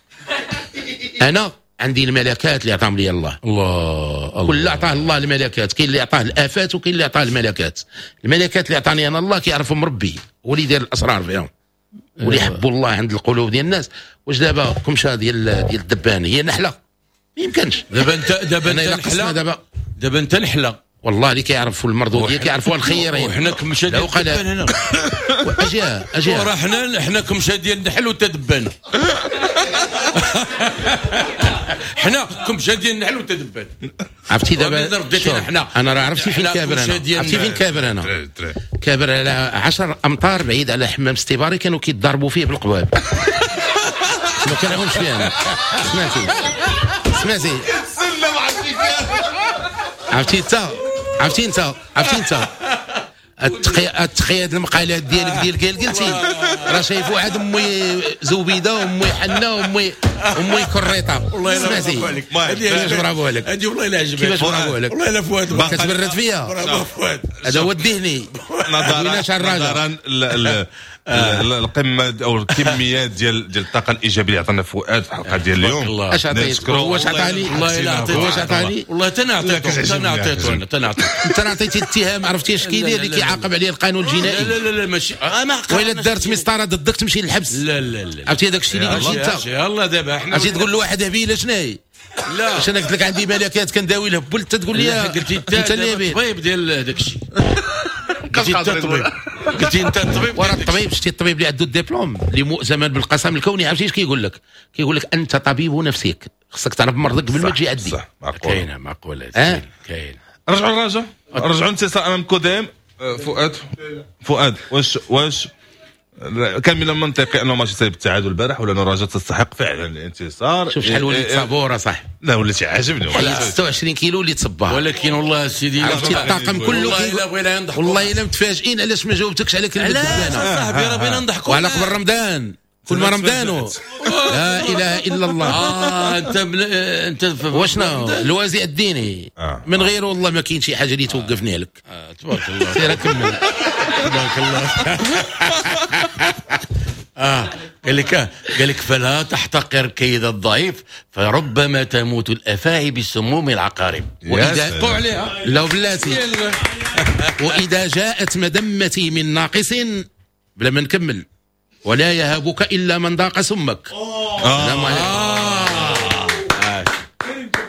انا عندي الملكات اللي عطاهم لي الله. الله كل عطاه الله الملكات، كاين اللي عطاه الافات وكاين اللي عطاه الملكات. الملكات اللي عطاني انا الله كيعرفهم ربي، هو اللي يدير الاسرار فيهم واللي يحبوا الله عند القلوب ديال الناس. واش دابا كمشه ديال الدبان هي نحله؟ ما يمكنش. دابا انت دابا انت نحله، دابا انت نحله والله اللي كيعرفوا المردوديه كيعرفوها الخيرين. وحنا كمشه ديال الدبان هنا. اجي اجي وراه حنا كمشه ديال النحل وانت دبان. حنا كمشه ديال النحل وانت دبان. عرفتي دابا انا راه عرفتي فين كابر انا، عرفتي فين كابر انا. كابر على 10 امتار بعيد على حمام ستيباري، كانوا كيتضاربوا فيه بالقباب. ما كنعاونش فيه انا. سمعتي سمعتي عرفتي انت، عرفتي انت، عرفتي انت التقياد المقالات ديالك ديال قلتي راه شايفوا عاد امي زبيده وامي حنة وامي كريطه. والله الا برافو عليك. كيفاش برافو عليك؟ هذه والله الا عجبتني. كيفاش برافو عليك؟ والله الا فؤاد كتبرد فيا. برافو فؤاد، هذا هو الذهني. نظرا القمه او الكميات ديال الطاقة الايجابية اللي عطانا فؤاد في الحلقة ديال اليوم. اش عطيت؟ هو اش عطاني؟ والله الا عطيت. هو اش عطاني؟ والله تنعطيته تنعطيته انا تنعطيته. انت عطيتي اتهام، عرفتي اش كيدير اللي كيعاقب عليه القانون الجنائي؟ لا لا لا ماشي. وإلا دارت مسطرة ضدك تمشي للحبس. لا لا لا عرفتي هذاك الشيء اللي قلتي انت؟ يلاه دابا حنا عرفتي تقول لواحد هبيله شنو هي؟ لا عشان قلت لك عندي ملكات كنداوي الهبل انت تقول لي قلتي انت الطبيب ديال هذاك الشيء. قلتي انت الطبيب، قلتي انت الطبيب. ورا الطبيب شتي الطبيب اللي عنده الدبلوم اللي مؤزما بالقسم الكوني، عرفتي اش كيقول لك؟ كيقول لك انت طبيب نفسك، خصك تعرف مرضك قبل ما تجي عندي. صح، كاينه معقولة، كاينه. رجعوا الرجاء، رجعوا انتصار امام كوديم. فؤاد واش كان من المنطقي انه ماشي سايب التعادل البارح، ولا الرجاء تستحق فعلا الانتصار؟ شوف شحال وليت صبور صح. لا وليت عاجبني، 26 كيلو اللي تصبها، ولكن والله سيدي عرفتي الطاقم كله والله الا متفاجئين علاش ما جاوبتكش على كلمة دبانه صاحبي، راه بغينا نضحكوا وعلى قبل رمضان، كل ما رمضانو لا اله الا الله. انت وشنو الوازع الديني من غيره والله ما كاين شي حاجة اللي توقفني عليك. تبارك الله، سير كمل. تبارك الله. قال لك فلا تحتقر كيد الضعيف فربما تموت الافاعي بسموم العقارب. واذا عليها لو بلاتي واذا جاءت مذمتي من ناقص بلا ما نكمل، ولا يهابك الا من ذاق سمك. السلام عليكم.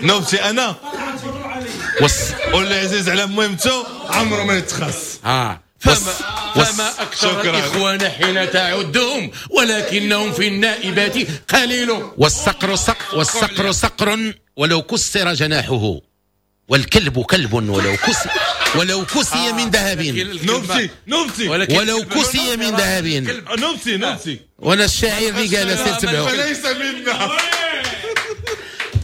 نوبتي انا واللي عزيز على مهمته عمره ما يتخص. فما أكثر الإخوان حين تعدهم ولكنهم في النائبات قليل. والصقر صقر، والصقر صقر ولو كسر جناحه، والكلب كلب ولو كسي من ذهب. نوبتي ولو كسي من ذهب. نوبتي وانا الشاعر اللي قال سير تبعو فليس منا.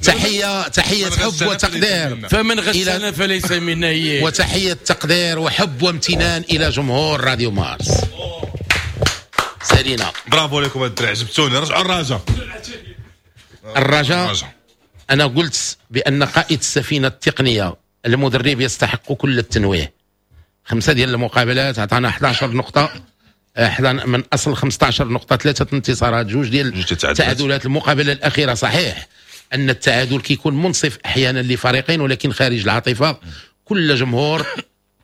تحية حب وتقدير، فمن غشنا فليس منا. هي وتحية تقدير وحب وامتنان إلى جمهور راديو مارس. سالينا، برافو لكم الدراري، عجبتوني. رجعوا الرجاء. الرجاء أنا قلت بأن قائد السفينة التقنية المدرب يستحق كل التنويه. 5 ديال المقابلات عطانا 11 نقطة، من أصل 15 نقطة 3 انتصارات، 2 ديال التعادلات. المقابلة الأخيرة صحيح أن التعادل كيكون منصف أحيانا لفريقين، ولكن خارج العاطفة كل جمهور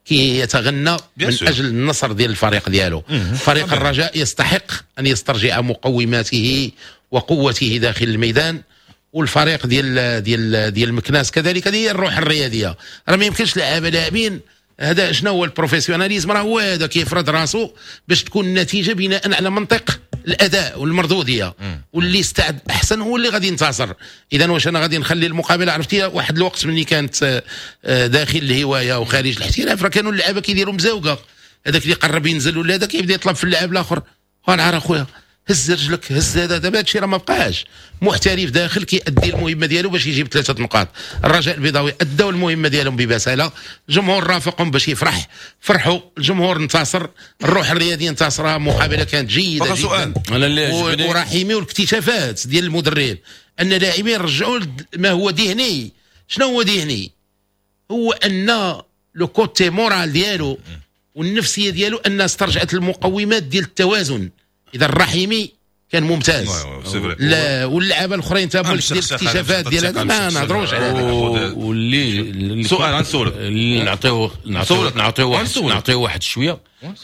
كي يتغنى من أجل النصر ديال الفريق ديالو. فريق الرجاء يستحق أن يسترجع مقوماته وقوته داخل الميدان، والفريق ديال ديال ديال المكناس كذلك. هذه هي الروح الرياضية، راه ما يمكنش لاعبين. هذا شنو هو ال professionnalisme؟ راه هو هذا كيفرض راسو باش تكون النتيجة بناء على منطق الاداء والمردوديه، واللي استعد احسن هو اللي غادي ينتصر. اذا واش انا غادي نخلي المقابلة؟ عرفتي واحد الوقت ملي كانت داخل الهواية وخارج الاحتراف راه كانوا اللعابه كيديروا مزاوقه، هذاك اللي قرب ينزل ولا هذا كيبدا يطلب في اللاعب الاخر، ونعرف اخويا هز رجلك هز هذا. دابا هادشي راه ما بقاش. محترف داخل كيأدي المهمة ديالو باش يجيب 3 نقاط. الرجاء البيضاوي ادوا المهمة ديالهم ببساله، الجمهور رافقهم باش يفرح، فرحوا، الجمهور انتصر، الروح الرياضية انتصرها. مقابله كانت جيدة جدا. ورحيمي والاكتشافات ديال المدرب ان لاعبين رجعوا ما هو ذهني. شنو هو ذهني؟ هو ان le côté moral ديالو والنفسية ديالو ان استرجعت المقومات ديال التوازن. اذا الرحيمي كان ممتاز، لا واللعابه الاخرين تا ديال الاكتشافات ديال هذا ما نهضروش على هذا. واللي سؤال غنسولك اللي نعطيو واحد شوية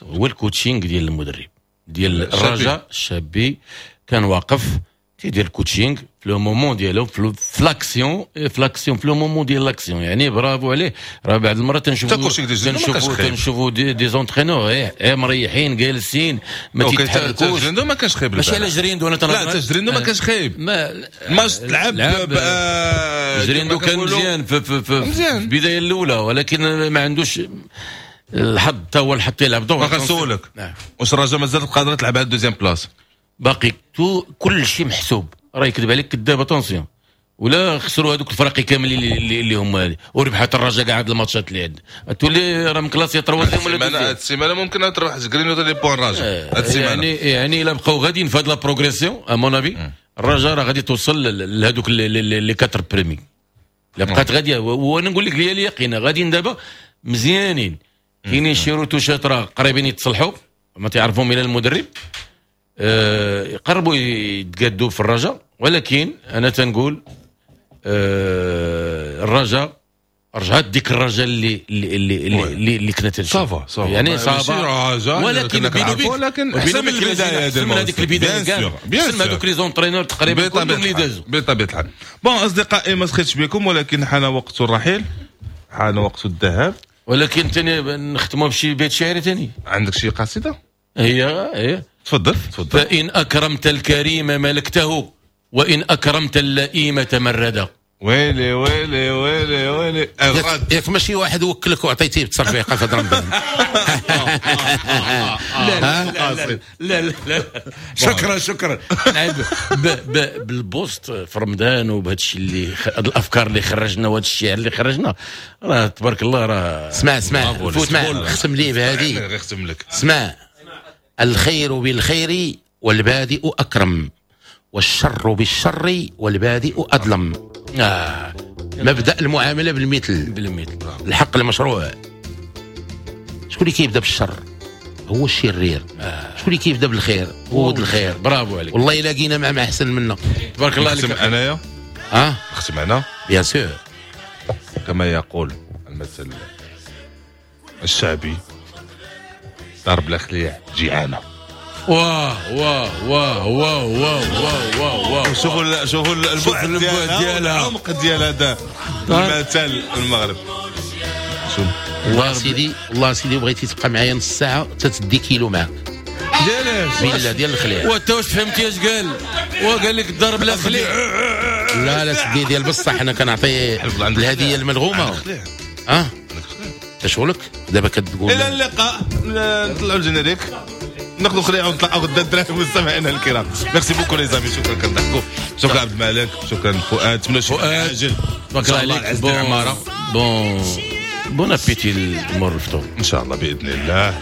هو ال coaching ديال المدرب ديال الرجاء الشابي. كان واقف تيدير ال coaching في le moment ديالو في l'action في le moment ديال l'action، يعني برافو عليه. راه بعض المرات تنشوفوا des entraîneurs مريحين جالسين ما تيتحركوش. جريندو ما كانش خايب، ماشي على جريندو انا لا جريندو ما كانش خايب، ماتش تلعب جريندو كان مزيان في البداية الاولى، ولكن ما عندوش الحظ. تا هو الحظ تيلعب دور. غنسولك واش الرجاء مازال قادرة تلعب على ال deuxième place؟ باقي tout كل شيء محسوب، راه يكذب عليك كذاب. attention ولا خسروا هذوك الفرق كاملين اللي هما وربحات الرجاء كاع هاد الماتشات اللي عند تولي راه مكلاسي troisième ولا deuxième. هاد السيمانة ممكن تربح كرينو les points الرجاء هاد السيمانة، يعني الا بقاو غاديين في هاد la progression à mon avis الرجاء راه غادي توصل لهذوك les 4 premiers. الا بقات غادية، وانا نقول لك هي اليقين غاديين دابا مزيانين. كاينين شي retouches راه قريبين يتصلحوا ما تعرفهم الى المدرب، يقربوا يتقادوا في الرجاء. ولكن انا تنقول الرجاء رجعت ديك الرجاء اللي اللي اللي اللي كنا تنشوف. ça va يعني ça va، ولكن ولكن احسن من البداية ديال هذيك البداية كاع، احسن من هذوك les entraîneurs تقريبا كلهم اللي دازوا بطبيعة الحال. bon اصدقائي ما سخيتش بكم، ولكن حان وقت الرحيل، حان وقت الذهاب. ولكن ثاني نختموا بشي بيت شعري ثاني. عندك شي قصيدة؟ هي تفضل تفضل. فإن أكرمت الكريم ملكته وإن أكرمت اللئيم تمردا. ويلي ويلي ويلي ويلي. ياك ماشي واحد وكلك وعطيتيه بتصرفيقه في رمضان. لا لا لا لا لا، شكرا شكرا. بال post في رمضان وبهذا الشيء اللي هاد الافكار اللي خرجنا وهذا الشعر اللي خرجنا، راه تبارك الله راه. اسمع اسمع اسمع، ختم لي بهذه. ختم لك. اسمع، الخير بالخير والبادئ اكرم، والشر بالشر والبادئ اظلم. مبدا المعاملة بالمثل. بالمثل، الحق المشروع. شكون اللي كيبدا بالشر؟ هو الشرير. شكون اللي كيبدا بالخير؟ هو ولد الخير. برافو عليك. والله الا لقينا مع احسن منا. تبارك الله عليك. نختم انايا. نختم انا bien sûr. كما يقول المثل الشعبي، دار بلا خليع جيعانه. واه واه واه واه واه واه واه. شوفوا شوفوا البعد ديالها، العمق ديال هذا المثل المغرب. شوف والله سيدي، والله سيدي بغيتي تبقى معايا نص ساعة تتدي كيلو معاك. ديالاش؟ بالله ديال الخليع. وانت واش فهمتي اش قال؟ وقال لك الضرب لا خليع. لا لا سيدي ديال بصح، انا كنعطي الهدية الملغومه. انت شغلك دابا كتقول. الى اللقاء، نطلعوا ال générique، ناخذ خليعه ونطلعوا غدا الدراري مستمعينا الكرام. merci beaucoup les amis، شكرا كنضحكوا، شكرا عبد الملك، شكرا فؤاد، نتمنى شي عاجل. تبارك الله عليك. bon bon appétit المور الفطور ان شاء الله باذن الله.